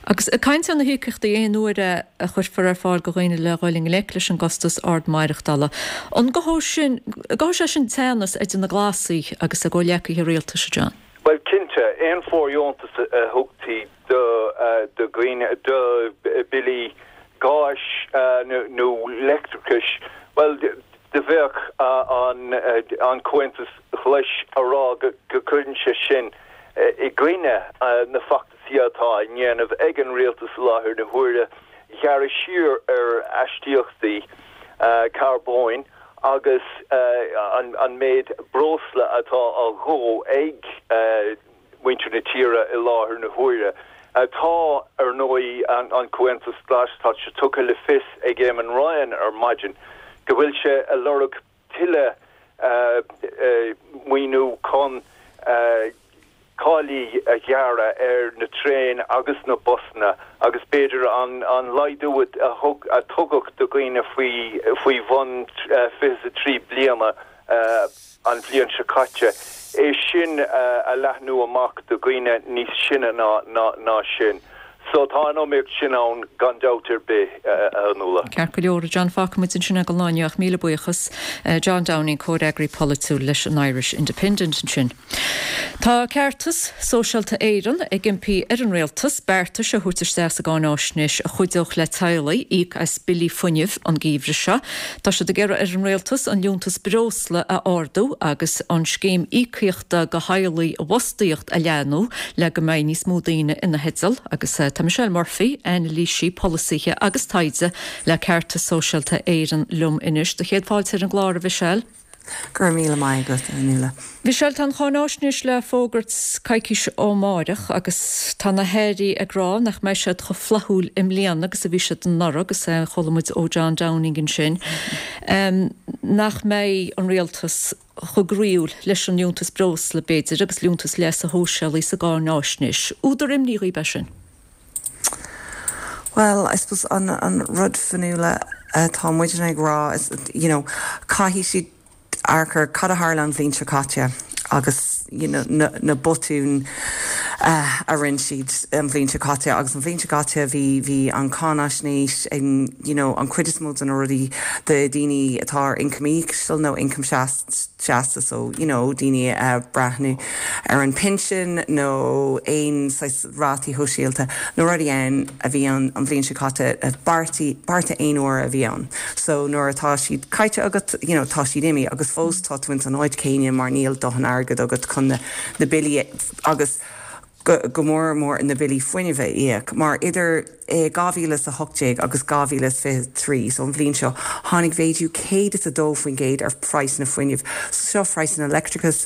Agus ag caint ar na híocaíochtaí aon uaire a chuirfear ar fáil do dhaoine le dhul i ngleic leis an gcostas ard maireachtála, an gcothóidh sin, gcothóidh sé sin teannas idir na Glasaigh agus a gcomhghleacaithe rialtais, a John?
Bhuel, cinnte, aon fóirdheontas a thugtaí do dhaoine, do bhillí gáis nó leictreachais, bhuel, do bheadh an Comhaontas Glas a rá go gcuireann sé sin i gcoinne na feachtasaí atá á ndéanamh ag an rialtas i láthair na huaire, gearradh siar ar aistíochtaí carbóin agus an méid breosla atá á dhó ag muintir na tíre i láthair na huaire. Tá, ar ndóigh, an Comhaontas Glas, tá sé tugtha le fios ag Eamon Ryan ar maidin go bhfuil sé ag lorg tuilleadh maoiniú chun táillí a ghearradh ar na traein agus na busanna agus b'fhéidir an laghdú a tugadh do dhaoine faoi bhun fiche a trí bliana an bhliain seo caite, é sin a leathnú amach do dhaoine níos sine ná sin. So tá an iomaíocht sin ann gan dabht ar bith, a Fhionnuala.
Ceart go leor, a John, fágfaimid ansin é don lá inniu ach míle buíochas. John Downing, comhfhreagraí polaitiúil leis an Irish Independent ansin. Tá Ceartas Sóisialta Éireann ag impí ar an Rialtas beartais a thabhairt isteach sa gcáináisnéis a chuideodh le teaghlaigh íoc as billí fuinnimh an geimhreadh seo. Tá siad ag iarraidh ar an Rialtas an liúntas breosla a ardú agus an scéim íocaíochta do theaghlaigh i bhfostaíocht a leathnú le go mbeidh níos mó daoine ina theideal agus tá Michelle Murphy, anailísí polasaithe agus taighde le Ceartas Sóisialta Éireann liom anois. Do chéad fáilte ar an gclár, a Mhichelle.
Go raibh míle maith agat, a Fhionnuala.
Michelle, tá an cháináisnéis le fógairt coicís ó amárach agus tá na hairí ag rá nach mbeidh siad chomh flaithiúil i mbliana agus a bhí siad anuraidh agus chuala muid ó John Downing ansin nach mbeidh an rialtas chomh groíúil leis an liúntas breosla, b'fhéidir, agus liúntas leasa shóisialaigh sa gcáináisnéis. Údar imní dhaoib é sin?
Bhuel, I suppose an an rud Fionnuala atá muidne ag rá is you know caithfidh siad amharc ar cad a tharla an bhliain seo caite agus you know na na botúin uh, a rinne siad an bhliain seo caite agus an bhliain seo caite bhí bhí an cáinaisnéis in you know, an chuid is mó de na rudaí do daoine atá ar income íseal nó income seasta so you know, daoine uh, breathnú ar an pinsean nó aon rátaí sóisialta nó rudaí ann a bhí an an bhliain seo caite bearta bearta aon uair a bhí ann. So nuair atá siad caite agat you know, tá siad imithe agus fós tá tú in san áit céanna mar níl dóthain airgead agat chun na, na billí agus go, go mór mór na billí fuinnimh a íoc, mar idir eh, dhá mhíle a hocht déag agus dhá mhíle fiche trí so an bhliain seo tháinig méadú céad is a dó faoin gcéad ar phraghas na fuinnimh, so seo praghas na leictreachas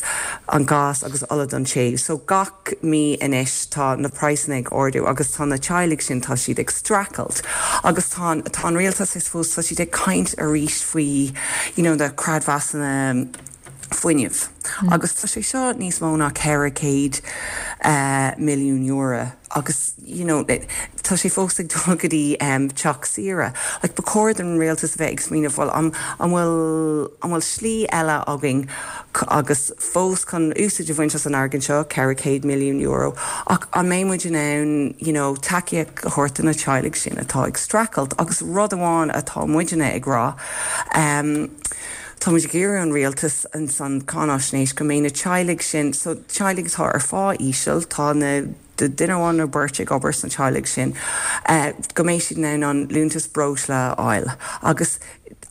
an gás agus ola don téamh. So gach mí anois tá na praghsanna ag ardú agus tá na teaghlaigh sin tá siad ag streachailt. Agus tá tá an rialtas is fós tá siad ag caint arís faoi you know, na creidmheasanna fuinnimh. Mm. Agus tá sé seo níos mó ná ceithre chéad uh, milliún euro agus you know, tá sé fós ag dul go dtí um, teach saoire. Like, ba chóir don rialtas bheith ag smaoineamh bhfuil an bhfuil an bhfuil slí eile againn agus fós chun úsáid a bhaint as an airgead seo ceithre chéad milliún euro ach an mbeidh muid in ann you know, tacaíocht a thabhairt na teaghlaigh sin atá ag streachailt agus rud amháin atá muidne ag rá. Um, Tá muid ag iarraidh an rialtas an san cáinaisnéis go mbeidh na teaghlaigh sin so teaghlaigh atá ar phá íseal tá na de duine amháin nó beirt ag obair san teaghlach sin uh, go mbeidh siad in ann an liúntas breosla a fháil agus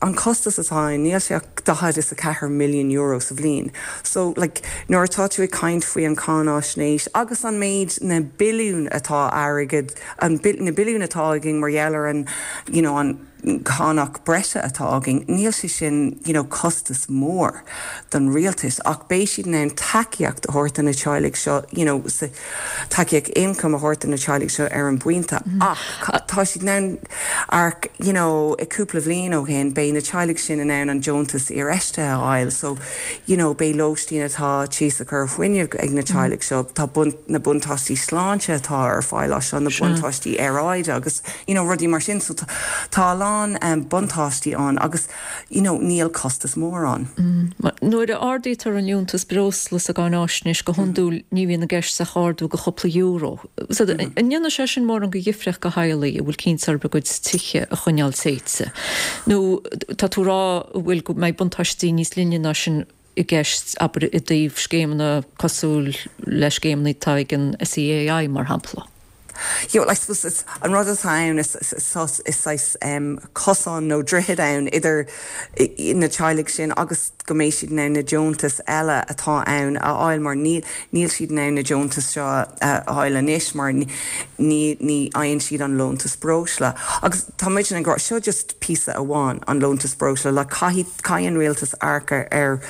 an costas atá níl sé daichead is a ceathair milliún euro sa bhliain. So like, nuair atá tú ag caint faoi an cáinaisnéis agus an méid na billiún atá airgead an na billiún atá againn mar gheall ar an you know, an cánach breise atá againn, níl sé sin you know, costas mór don rialtas ach beidh siad in ann tacaíocht a thabhairt na teaghlaigh seo you know, tacaíocht income a thabhairt na teaghlaigh seo ar an bpointe mm. ach tá siad in ann ach you know, i cúpla bliain ó shin beidh na teaghlaigh sin in ann an deontas infheistíochta a fháil so you know, beidh lóistín atá tíosach ar fuinneamh ag na teaghlaigh seo tá bun, na buntáistí sláinte atá ar fáil seo na buntáistí aeráide agus you know, rudaí mar sin so tá lán um, buntáistí ann agus you know, níl costas mór ann.
Mm. Nuair a ardaítear an liúntas breosla sa gcáinaisnéis go hiondúil ní bhíonn i gceist ach ardú go chúpla euro. So, mm. An ndéanann sé sin mórán de dhifríocht do theaghlaigh a bhfuil cinnte orthu a gcuid tithe a choinneáil téite. Nó tá tú ag rá bhfuil go mbeidh buntáistí níos leithne ná sin i gceist abair i dtaobh scéimeanna cosúil le scéimeanna atá ag an SEAI mar shampla.
You know, I suppose it's an rud atá ann is is is um, cosán nó droichead ann idir na teaghlaigh sin agus go mbeidh siad in ann na deontais eile atá ann a fháil mar níl níl siad in ann na deontais seo a fháil anois mar ní ní fhaigheann siad an liúntas breosla. Agus tá muid ag rá seo just píosa amháin an liúntas breosla le caithfidh an rialtas amharc ar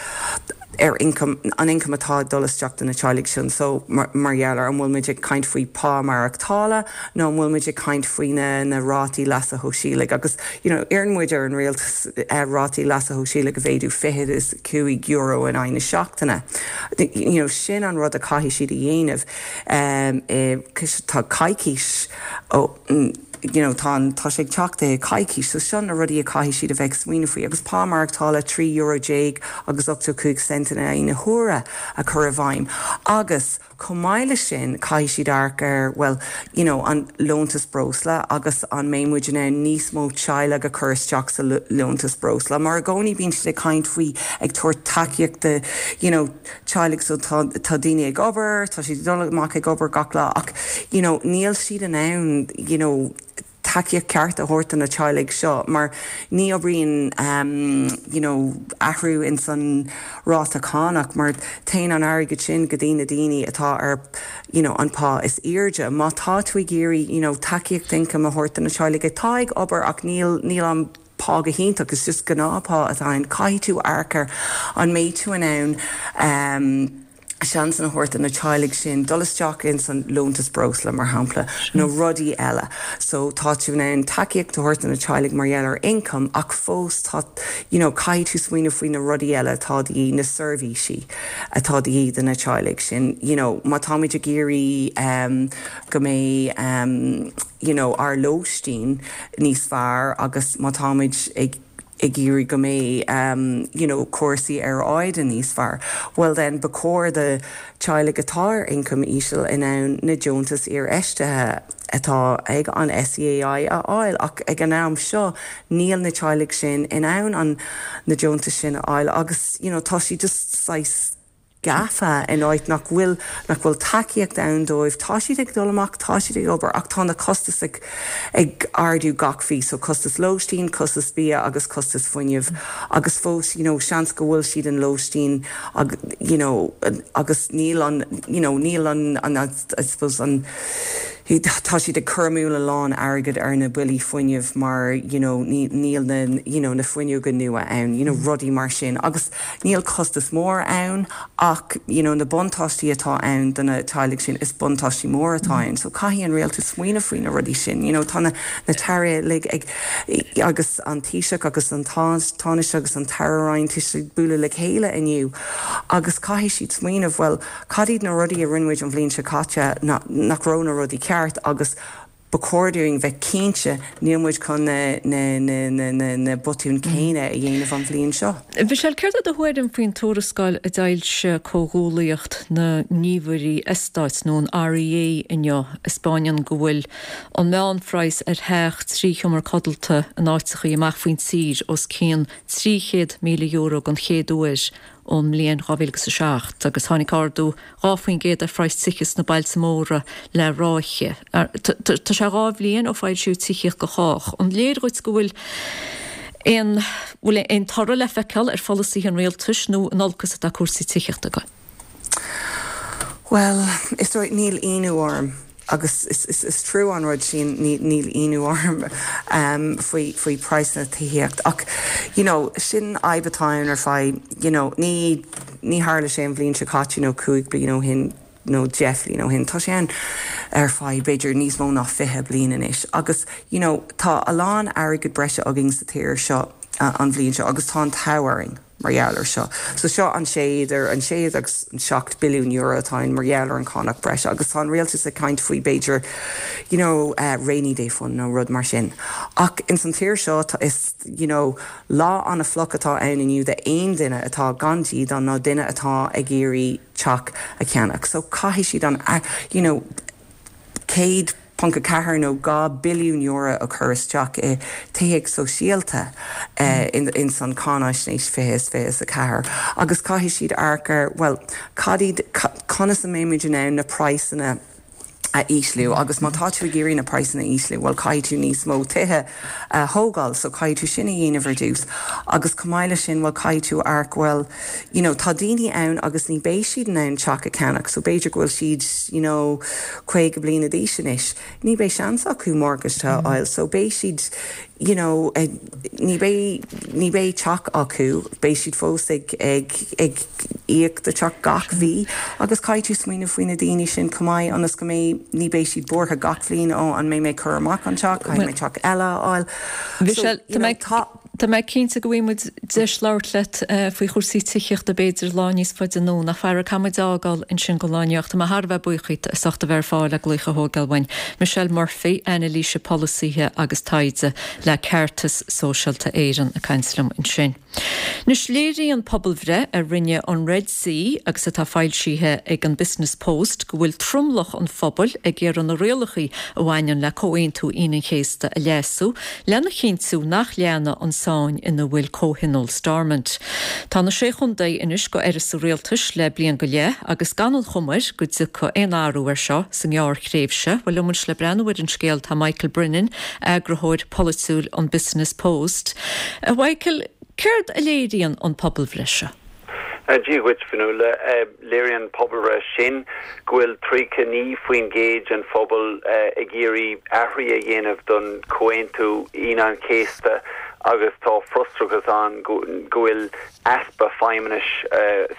ar income an income atá dul isteach na teaghlaigh sin so mar, mar gheall ar an bhfuil muid ag caint faoi pá maireachtála nó an bhfuil muid ag caint faoi na, na rátaí leasa shóisialaigh agus you know, iarrann muid ar an rialtas uh, rátaí leasa shóisialaigh a mhéadú fiche is cúig euro in aghaidh na seachtaine. You know, sin an rud a caithfidh siad a dhéanamh um, e, tá coicís ó you know, tá tá sé teacht coicís, so sin na rudaí a caithfidh siad a bheith smaoineamh faoi, agus pá maireachtála trí euro déag agus ochtó cúig cent in aghaidh na huaire a chur i bhfeidhm. Agus chomh maith leis sin caithfidh siad amharc ar well you know, an liúntas breosla agus an mbeidh muid in ann níos mó teaghlaigh a chur isteach sa liúntas breosla. Mar i gcónaí bíonn siad ag caint faoi ag tabhairt tacaíocht you know, teaghlaigh so tá, tá daoine ag obair, tá siad dul amach ag obair gach lá ach you know, níl siad in ann you know, tacaíocht ceart a thabhairt na teaghlaigh seo mar ní oibríonn um, you know, athrú in san ráta cánach mar téann an airgead sin go dtí na daoine atá ar you know, an pá is airde. Má tá tú ag iarraidh you know, tacaíocht income a thabhairt na teaghlaigh atá ag obair ach níl níl an pá go hiontach is just gnáthphá atá ann caithfidh tú amharc ar an mbeidh tú in ann um, seans a thabhairt na teaghlaigh sin dul isteach in san liúntas breosla mar shampla nó rudaí eile. So tá tú in ann tacaíocht a thabhairt na teaghlaigh mar gheall ar income ach fós tá you know, caithfidh tú smaoineamh faoi na rudaí eile atá de dhíth na seirbhísí atá de dhíth do na teaghlaigh sin. You know, má táimid ag iarraidh um, go mbeidh um, you know, ár lóistín níos fearr agus má táimid ag ag iarraidh go mbeidh um, you know, cúrsaí aeráide níos fearr. Well then ba chóir do teaghlaigh atá ar ioncam íseal in ann na deontais infheistithe atá ag an SEAI a fháil ach ag an am seo níl na teaghlaigh sin in ann an na deontais sin a fháil agus you know, tá sí just saghas gafa in áit nach bhfuil nach bhfuil tacaíocht ann dóibh tá siad ag dul amach tá siad ag obair ach tá na costais ag ag ardú gach mí so costas lóistín, costas bia agus costas fuinnimh agus fós you know, seans go bhfuil siad in lóistín ag, you know, agus níl an you know, níl an, an I suppose an tá siad ag cur amú a lán airgead ar na billí fuinnimh mar you know, níl na you know, na fuinneoga nua ann, you know, rudaí mar sin agus níl costas mór ann ach you know, na buntáistí atá ann do na teaghlaigh sin is buntáistí mór atá ann, so caithfidh an rialtas smaoineamh faoi na rudaí sin. You know, tá na, na tairí ag agus an Taoiseach agus an Tánaiste agus an tAire Ryan ag bualadh le chéile inniu agus caithfidh siad smaoineamh well cad iad na rudaí a rinne muid an bhliain seo caite nach raibh na rudaí ceart agus ba chóir dúinn bheith cinnte níl muid chun na, na, na, na, na, na botúin céanna a dhéanamh an bhliain seo.
Michelle céard é do thuairim faoin tuarascáil a d'fhoilsigh Comhghuaillíocht na nGníomhairí Eastáit nó an REA inniu a 'spáineann go bhfuil an meánphraghas ar theach trí sheomra codlata in áiteachaí amach faoin tír os cionn trí chéad míle euro don chéad uair ón mbliain dhá mhíle agus a seacht agus tháinig ardú dhá faoin gcéad ar phraghas tithe sna bailte móra le ráithe. Tá sé dhá bhliain ó foilsíodh Tithíocht do Chách. An léir dhuit go bhfuil aon bhfuil aon toradh le feiceáil ar pholasaithe an rialtais nó in olcas atá cúrsaí tithíochta ag dul?
Well, is dóigh níl ionadh orm agus is, is, is trua an rud sin níl ionadh orm um, faoi faoi praghas na tithíocht ach you know, sin fadhb atá ann ar feadh you know, ní ní tharla sé an bhliain seo caite nó cúig bliain ó shin nó deich bliain ó shin tá sé ann ar feadh b'fhéidir níos mó ná fiche bliain anois agus you know, tá a lán airgead breise againn sa tír seo uh, an bhliain seo agus tá an t-ádh orainn mar gheall ar seo. So seo an sé idir an sé agus an seacht billiún euro atá mar gheall ar an cánach breise agus tá an rialtas ag caint faoi b'fhéidir you know, uh, rainy day fund nó rud mar sin. Ach in san tír seo is you know, lá an-fhliuch atá ann inniu d'aon duine atá gan dídean nó duine atá ag iarraidh teach a cheannach. So caithfidh siad an uh, you know, céad ponc a ceathair nó dhá billiún euro a chur isteach i tithíocht sóisialta uh, in, in san cáinaisnéis fiche is fiche is a ceathair. Agus caithfidh siad amharc ar well cad iad conas a mbeimid in ann na praghsanna a ísliú agus má tá tú ag iarraidh na praghsanna a ísliú, well caithfidh tú níos mó tithe a thógáil, so caithfidh tú sin a dhéanamh ar dtús. Agus chomh maith leis sin well caithfidh tú amharc well you know, tá daoine ann agus ní bheidh siad in ann teach a cheannach, so b'fhéidir go bhfuil siad you know, caoga bliana d'aois anois. Ní bheidh seans acu mortgage a fháil, so beidh siad you know, eh, ní bheidh ní bheidh teach acu, beidh siad fós ag ag ag íoc do teach gach mhí agus caithfidh tú smaoineamh faoi na daoine sin chomh maith ionas go mbeidh ní bheidh siad buartha gach bliain ó an mbeidh mé curtha amach an teach, caithfidh mé teach eile a fháil.
Michelle,
So, you know, tá
Tá mé cinnte go bhfaighidh muid deis labhairt leat eh, faoi chúrsaí tithíochta b'fhéidir lá níos faide anonn ach faraor caithfidh muid fágáil ansin go lá inniu. Tá mé thar a bheith buíoch díot as ucht a bheith ar fáil le glaoch a thógáil uainn. Michelle Murphy, anailísí polasaithe agus taighde le Ceartas Sóisialta Éireann ag caint liom ansin. Anois léiríonn pobalbhreith a rinne an Red C agus atá foilsithe ag an Business Post go bhfuil tromlach an phobail ag iarraidh na rialacha a bhaineann le Comhaontú Aoine an Chéasta a leasú, lena chinntiú nach leanfaidh an tsáinn ina bhfuil comhthionól Stormont. Tá na sé chontae anois gan aire sa rialtas le bliain go leith agus gan an chuma air go dtiocfaidh aon athrú air seo sa ngearrthréimhse, Well liom le breathnú ar an scéal tá Michael Brennan, eagarthóir polaitiúil an Business Post. A Michael, céard a léiríonn an pobalbhreith seo?
Dia dhuit Fionnuala léiríonn an pobalbhreith sin go bhfuil tríocha naoi faoin gcéad den phobal ag iarraidh athrú a dhéanamh don Chomhaontú Aoine an Chéasta agus tá frustrachas ann go bhfuil easpa feidhmeannais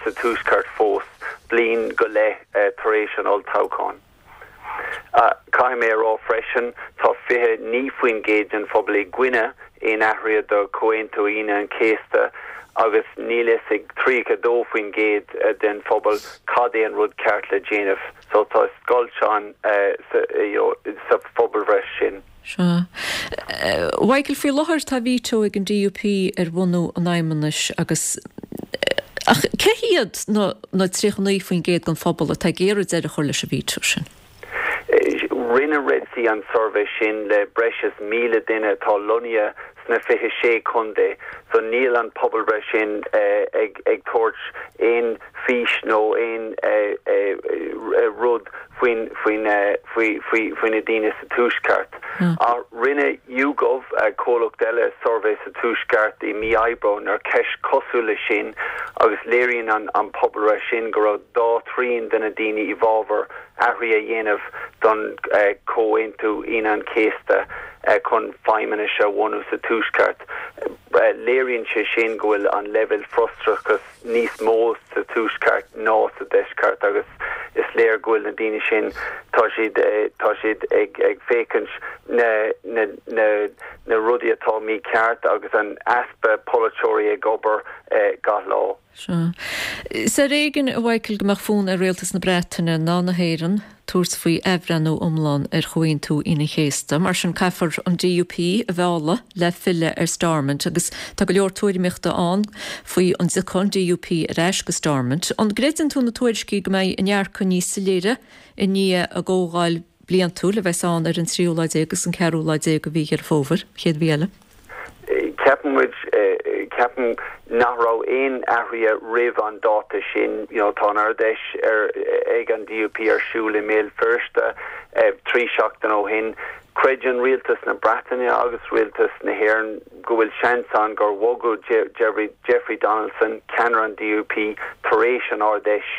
sa tuaisceart fós bliain go leith tar éis an olltoghcháin. Caithfidh mé a rá freisin tá fiche naoi faoin gcéad den phobal i gcoinne aon athraithe do Chomhaontú Aoine an Chéasta agus níl fhios ag tríocha dó faoin gcéad den phobal cad é an rud ceart le déanamh, so tá scoilt ann sa phobalbhreith sin.
Sea. Mhichael, faoi láthair tá veto ag an D U P ar bhunú an Fheidhmeannais agus ach cé hiad na na tríocha naoi faoin gcéad den phobal atá ag iarraidh deireadh a chur leis an veto sin?
Rinne Red C an suirbhé sin le breis is míle duine atá lonnaithe sna fiche sé contae, so níl an pobalbhreith sin ag ag tabhairt aon fís nó aon rud faoin faoin faoi faoi faoi na daoine sa Tuaisceart. Ach rinne YouGov, comhlacht eile, suirbhé sa Tuaisceart i mí Aibreáin ar cheist cosúil leis sin agus léiríonn an an pobalbhreith sin go raibh dhá thrian de na daoine i bhfabhar athruithe a dhéanamh don Chomhaontú Aoine an Chéasta chun feidhmeannas a bhunú sa Tuaisceart. Léiríonn sé sin go bhfuil an leibhéal frustrachas níos mó sa Tuaisceart ná sa Deisceart agus is léir go bhfuil na daoine sin tá siad tá siad ag ag féachaint na na na na rudaí atá mícheart agus an easpa polaiteoirí ag obair gach lá.
Sea. Is ar éigean, a Mhichael, go mbeadh fonn ar Rialtas na Breataine ná na hÉireann tabhairt faoi athbhreithniú iomlán ar Chomhaontú Aoine an Chéasta. Mar sin caithfear an D U P a mhealladh le filleadh ar Stormont agus tá go leor tuairimíochta ann faoi an dtiocfaidh an D U P ar ais go Stormont. An gcreideann tú na tuairiscí go mbeidh a ndearcadh níos soiléire i ndiaidh a gcomhdháil bliantúil a bheas ann ar an tríú lá déag agus an ceathrú lá déag de mhí Dheireadh Fómhair, chéad mhí eile?
Ceapann muid ceapaim nach raibh aon athruithe roimh an dáta sin. you know, tá an Ard-Fheis ar ag an D U P ar siúl i mBéal Feirste trí seachtain ó shin. Creideann rialtas na Breataine agus rialtas na hÉireann go bhfuil seans ann gur bhogadh Jeffrey, Jeffrey Donaldson, ceannaire an D U P, tar éis an Ard-Fheis,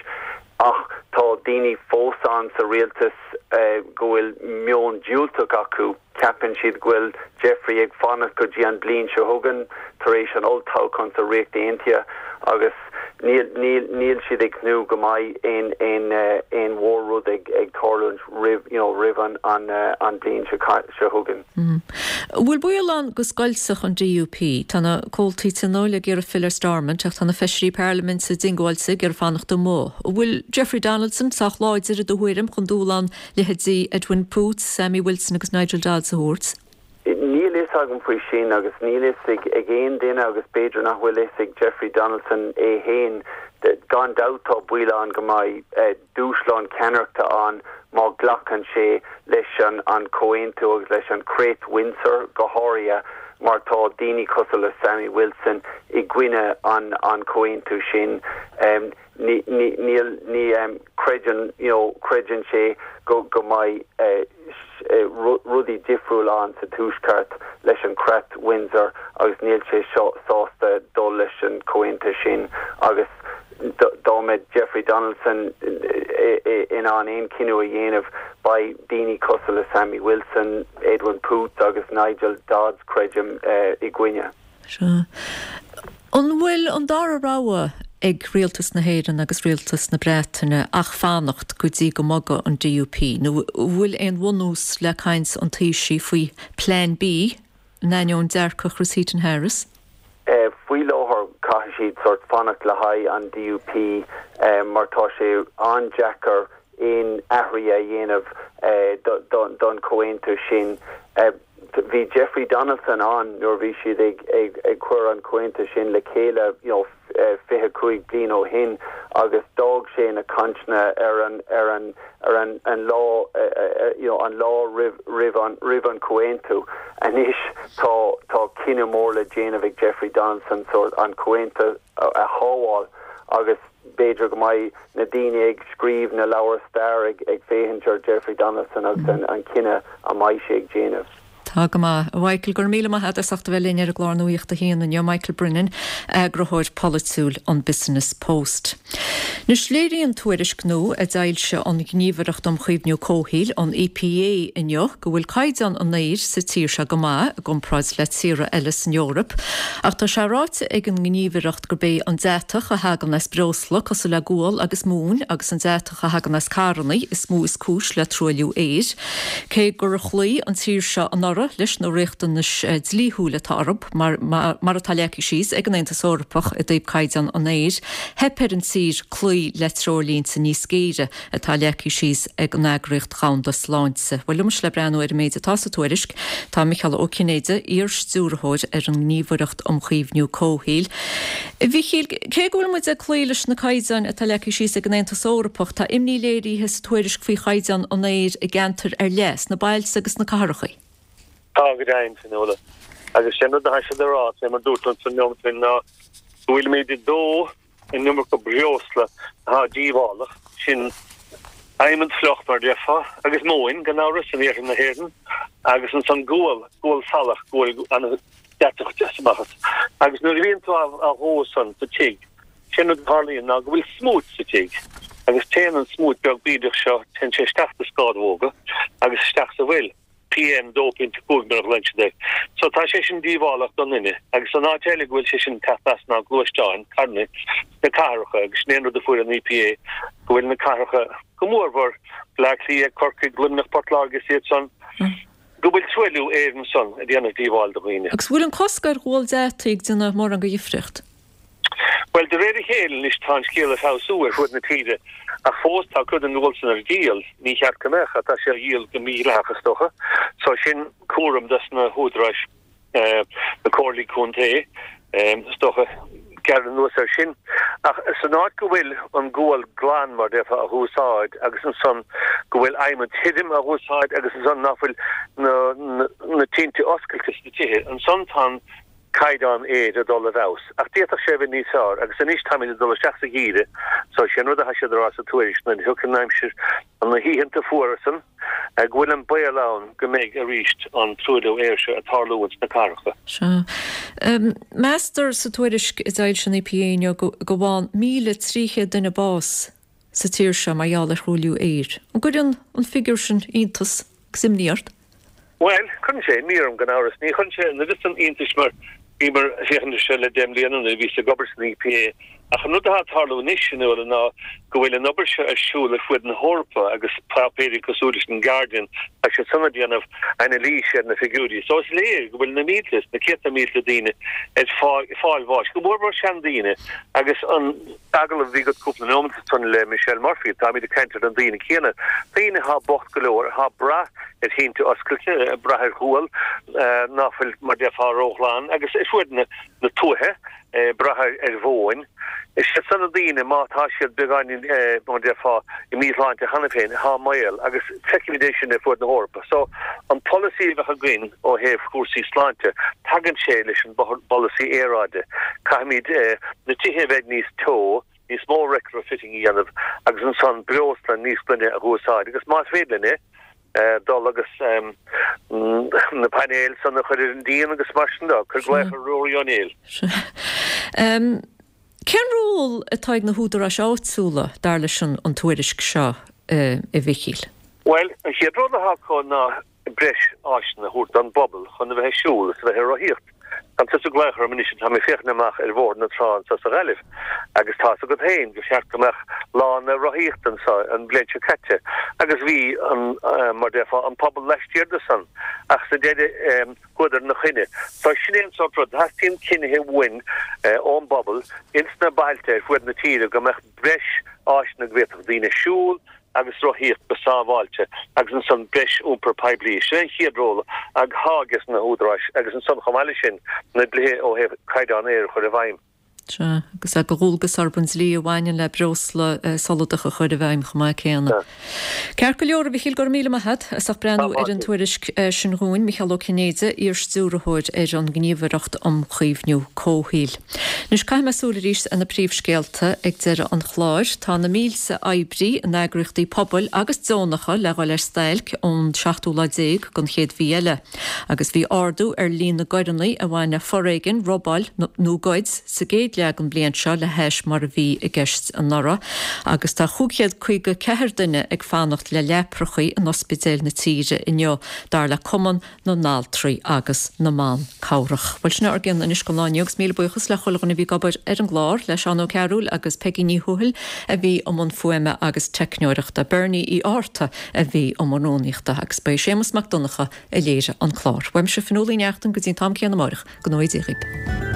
ach tá daoine fós ann sa rialtas go bhfuil meon diúltach acu. Ceapann siad go bhfuil Jeffrey ag fanacht go dtí an bliain seo chugainn tar éis an olltoghchán sa Ríocht Aontaithe agus níl níl níl siad ag tnúth go mbeidh aon aon aon mhór-rud ag ag tarlúint roimh you know, roimh an an an bliain seo seo chugainn.
Mm. Bhfuil baol ann go scoiltfeadh an D U P? Tá na comhaltaí tionóil ag iarraidh filleadh ar Stormont ach tá na feisirí parlaiminte diongbháilte ag iarraidh fanacht amuigh. Bhfuil Jeffrey Donaldson sách láidir i do thuairim chun dúshlán leithéidí Edwin Poots, Sammy Wilson agus Nigel Dodds a thabhairt?
Níl fhios agam faoi sin agus níl fhios ag ag aon duine agus b'fhéidir nach bhfuil fhios ag Jeffrey Donaldson é féin. Gan dabht tá baol ann go mbeidh dúshlán ceannaireachta ann má ghlacann sé leis an an comhaontú agus leis an Creat Windsor go háirithe mar tá daoine cosúil le Sammy Wilson i gcoinne an an comhaontú sin. Um, ní ní níl ní um, creideann you know, creideann sé go go mbeidh uh, rudaí difriúil ann sa Tuaisceart leis an Creat Windsor agus níl sé seo sásta dul leis an comhaontú sin agus dá mbeadh Jeffrey Donaldson in ann aon cinneadh a dhéanamh beidh daoine cosúil le Sammy Wilson, Edwin Poots agus Nigel Dodds, creidim, i gcoinne.
Seo. An bhfuil an dara rogha ag rialtas na hÉireann agus rialtas na Breataine ach fanacht go dtí go mbogfaidh an D U P, nó bhfuil aon bhunús le caint an Taoisigh faoi Plan B in ainneoin dearcadh Chris Heaton Harris?
Uh, faoi láthair caithfidh siad sort fanacht le haghaidh an D U P um, mar tá sé an-deacair aon athruithe a dhéanamh uh, don, don comhaontú sin. Uh, bhí Jeffrey Donaldson ann nuair bhí siad ag ag ag cur an comhaontú sin le chéile you know, fiche cúig bliain ó shin agus d'fhág sé na cainteanna ar an ar an ar an an lá you know, an lá roimh roimh an roimh an comhaontú. Anois tá tá cinneadh mór le déanamh ag Jeffrey Donaldson so an comhaontú a, a shábháil agus b'fhéidir go mbeidh na daoine ag scríobh na leabhar stair ag ag féachaint ar Jeffrey Donaldson agus an, an cinneadh a mbeidh sé ag déanamh.
Tá go maith. Michael, gur míle maith as ucht a bheith linn ar an gclár Nuacht a hAon inniu. Michael Brennan, eagarthóir polaitiúil an Business Post. Anois léiríonn tuairisc nua a d'fhoilsigh an Ghníomhaireacht um Chaomhnú Comhshaoil, an E P A, inniu go bhfuil caighdeán an aeir sa tír seo go maith i gcomparáid le tíortha eile san Eoraip, ach tá sé ráite ag an ngníomhaireacht gurb é an deatach a thagann as breosla cosúil le gual agus móin agus an deatach a thagann as carranna is mó is cúis le truailliú aeir. Cé gur chloígh an tír seo an deora leis na riachtanais dlíthiúil atá orthu mar, mar, mar atá leagtha síos ag an Aontas Eorpach i dtaobh caighdeán an aeir, theip ar an tír cloí le treoirlínte níos géire atá leagtha síos ag an Eagraíocht Dhomhanda Sláinte. Bhuel liom le breathnú ar an méid atá sa tuairisc tá Micheál Ó Cinnéide iar-stiúrthóir ar an nGníomhaireacht um Chaomhnú Comhshaoil. A Mhichíl, cé go bhfuil muid ag cloí leis na caighdeáin atá leagtha síos ag an Aontas Eorpach, tá imní léirithe sa tuairisc faoi chaighdeán an aeir i gceantair ar leith, sna bailte agus sna cathracha.
Tá go deimhin, Fionnuala. Agus sin rud atá siad a rá, sé mar dúirt an neomat sin ná go bhfuilimid ag dó an iomarca breosla atá díobhálach, sin adhmad fliuch mar déarfá, agus móin, gan amhras, in iarthar na hÉireann, agus ansan gual, gual salach, gual an-deatach deas amach as. Agus nuair a bhíonn tú á dhó san sa tigh, sin rud a tharlaíonn ná go bhfuil smúit sa tigh, agus téann an smúit beag bídeach seo, téann sé isteach sna scámhóga agus isteach sa bhfuil. PM dó pointe cúig mar a ghlaonn siad air. So tá sé sin díobhálach don duine agus an áit eile go bhfuil sé sin ag teacht as ná gluaisteáin, carranna, sna cathracha agus sin é an rud a fuair an EPA go bhfuil na cathracha go mórmhór, Bleá Cliath, Corcaigh, Luimneach, Port Láirge is iad san, go bhfuil truailliú aeir ansan ag déanamh díobháil do dhaoine.
Agus bhfuil an cosc ar ghual deataigh ag déanamh mórán de dhifríocht?
Bhuel, de réir a chéile anois tá an scéal ag feabhsú ar fuaid na tíre, ach fós tá cuid den ghual san ar díol, ní cheart go mbeadh, ach tá sé á dhíol go mídhleathach is dócha, so sin cúram dos na húdaráis, na comhairlí contae, is dócha, gearradh anuas air sin. Ach san áit go bhfuil an gual glan, mar déarfá, á úsáid agus ansan go bhfuil adhmad tirim á úsáid agus ansan nach bhfuil na na tinte oscailte sna tithe, ansan tá an caighdeán aeir ag dul i bhfeabhas, ach d'fhéadfadh sé a bheith níos fearr, agus anois táimid ag dul isteach sa gheimhreadh, so sé an rud atá siad a rá sa tuairisc, nuair a thiocfaidh an aimsir, na hoícheanta fuara san, go bhfuil an baol ann go mbeidh arís an truailliú aeir seo ag tarlú ins na cathracha.
Sea. Meastar sa tuairisc a d'fhoilsigh an EPA inniu go bhfaigheann míle trí chéad duine bás sa tír seo mar gheall ar thruailliú aeir. An gcuireann an figiúr sin iontas agus imní ort?
Bhuel, cuireann sé imní orm, gan amhras. Ní chuireann sé an oiread san iontais mar bhíomar ag féachaint air seo le deich mbliana nuair a bhíos ag obair san EPA. Ach an rud atá ag tarlú anois, a Fhionnuala, ná go bhfuil an obair seo ar siúl ar fuaid na hEorpa agus páipéirí cosúil leis an Guardian, tá siad san ag déanamh anailís ar na figiúirí. So is léir go bhfuil na mílte is na céadta mílte daoine ag fáil bháis, go mórmhór seandaoine agus an agallamh a bhí agat cúpla nóiméad ansan le Michelle Murphy, táimid ag caint ar na daoine céanna, daoine atá bocht go leor, atá ag brath ar thinte oscailte, ag brath ar ghual ná fuil, mar déarfá, róghlan, agus ar fuaid na tuaithe, ag brath ar mhóin. Is iad san na daoine, má tá siad beagáinín, mar déarfá, i míshláinte cheana féin, atá i mbaol, agus feicimid é sin ar fuaid na hEorpa. So, an polasaí a bheadh againn ó thaobh chúrsaí sláinte, tagann sé leis an bpolasaí aeráide. Caithfimid na tithe a bheith níos teo, níos mó retrofitting a dhéanamh agus ansan breosla níos glaine a dh'úsáid agus más féidir linn é, dul agus na painéil san a chur ar an díon agus mar sin de. Cuir glaoch ar Ruairí Ó Néill.
Cén ról atá ag na húdaráis áitiúla, dar leis an tuairisc seo, a Mhichíl?
Bhuel, an chéad rud atá acu ná breis áiseanna a thabhairt don bpobal chun a bheith ag siúl is a bheith ag rothaíocht. Tá tusa ag glaoch orm anois, tá mé ag féachaint amach ar Bhóthar na Trá anseo sa Ghaillimh agus tá's agat féin gur cheart go mbeadh lána rothaíochta anseo an bhliain seo caite agus bhí an, mar déarfá, an pobal laistiar de san ach sa deireadh chuadar ina choinne. So sin é an sórt rud, teastaíonn cinnithe uainn ón bpobal ins na bailte ar fuaid na tíre go mbeadh breis áiseanna go bhféadfadh daoine siúl agus rothaíocht go sábháilte agus ansan breis iompar poiblí. Sin é an chéad ról athá ages na húdaráis agus ansan chomh maith leis sin na dlíthe ó thaobh caighdeán aeir a chur i bhfeidhm.
Sea, agus é de dhualgas orthu an dlí a bhaineann le breosla soladach a chur i bhfeidhm chomh maith céanna. Ceart go leor, a Mhichíl, go raibh míle maith agat as ucht breathnú ar an tuairisc sin dhúinn. Micheál Ó Cinnéide, iar-stiúrthóir ar an nGníomhaireacht um Chaomhnú Comhshaoil. Anois caithfidh mé súil arís ar na príomhscéalta ag deireadh an chláir. Tá na mílte oibrí in eagraíochtaí pobail agus deonacha le dhul ar stailc ón seachtú lá déag den chéad mhí eile. Agus bhí ardú ar líon na gcoireanna a bhain le foréigean, robáil nó goid sa gcéad leag an bhliain seo le hais mar a bhí i gceist anuraidh, agus tá chúig chéad caoga ceathair duine ag fanacht le leaprachaí in ospidéil na tíre inniu, dar le Cumann na nAltraí agus na mBan Cabhrach. Bhuel sin ár gcionn anois don lá inniu agus míle buíochas le chuile dhuine a bhí ag obair ar an gclár, le Seán Ó Cearúil agus Peigí Ní Thuathail a bhí i mbun fuaime agus teicneoireachta, Bernie Uí Fhátharta a bhí i mbun rúnaíochta agus ba é Séamus Mac Donncha a léirigh an clár. Uaimse Fionnuala Ní Neachtain go dtí an t-am céanna amárach, go ngnóthaí Dia dhaoibh.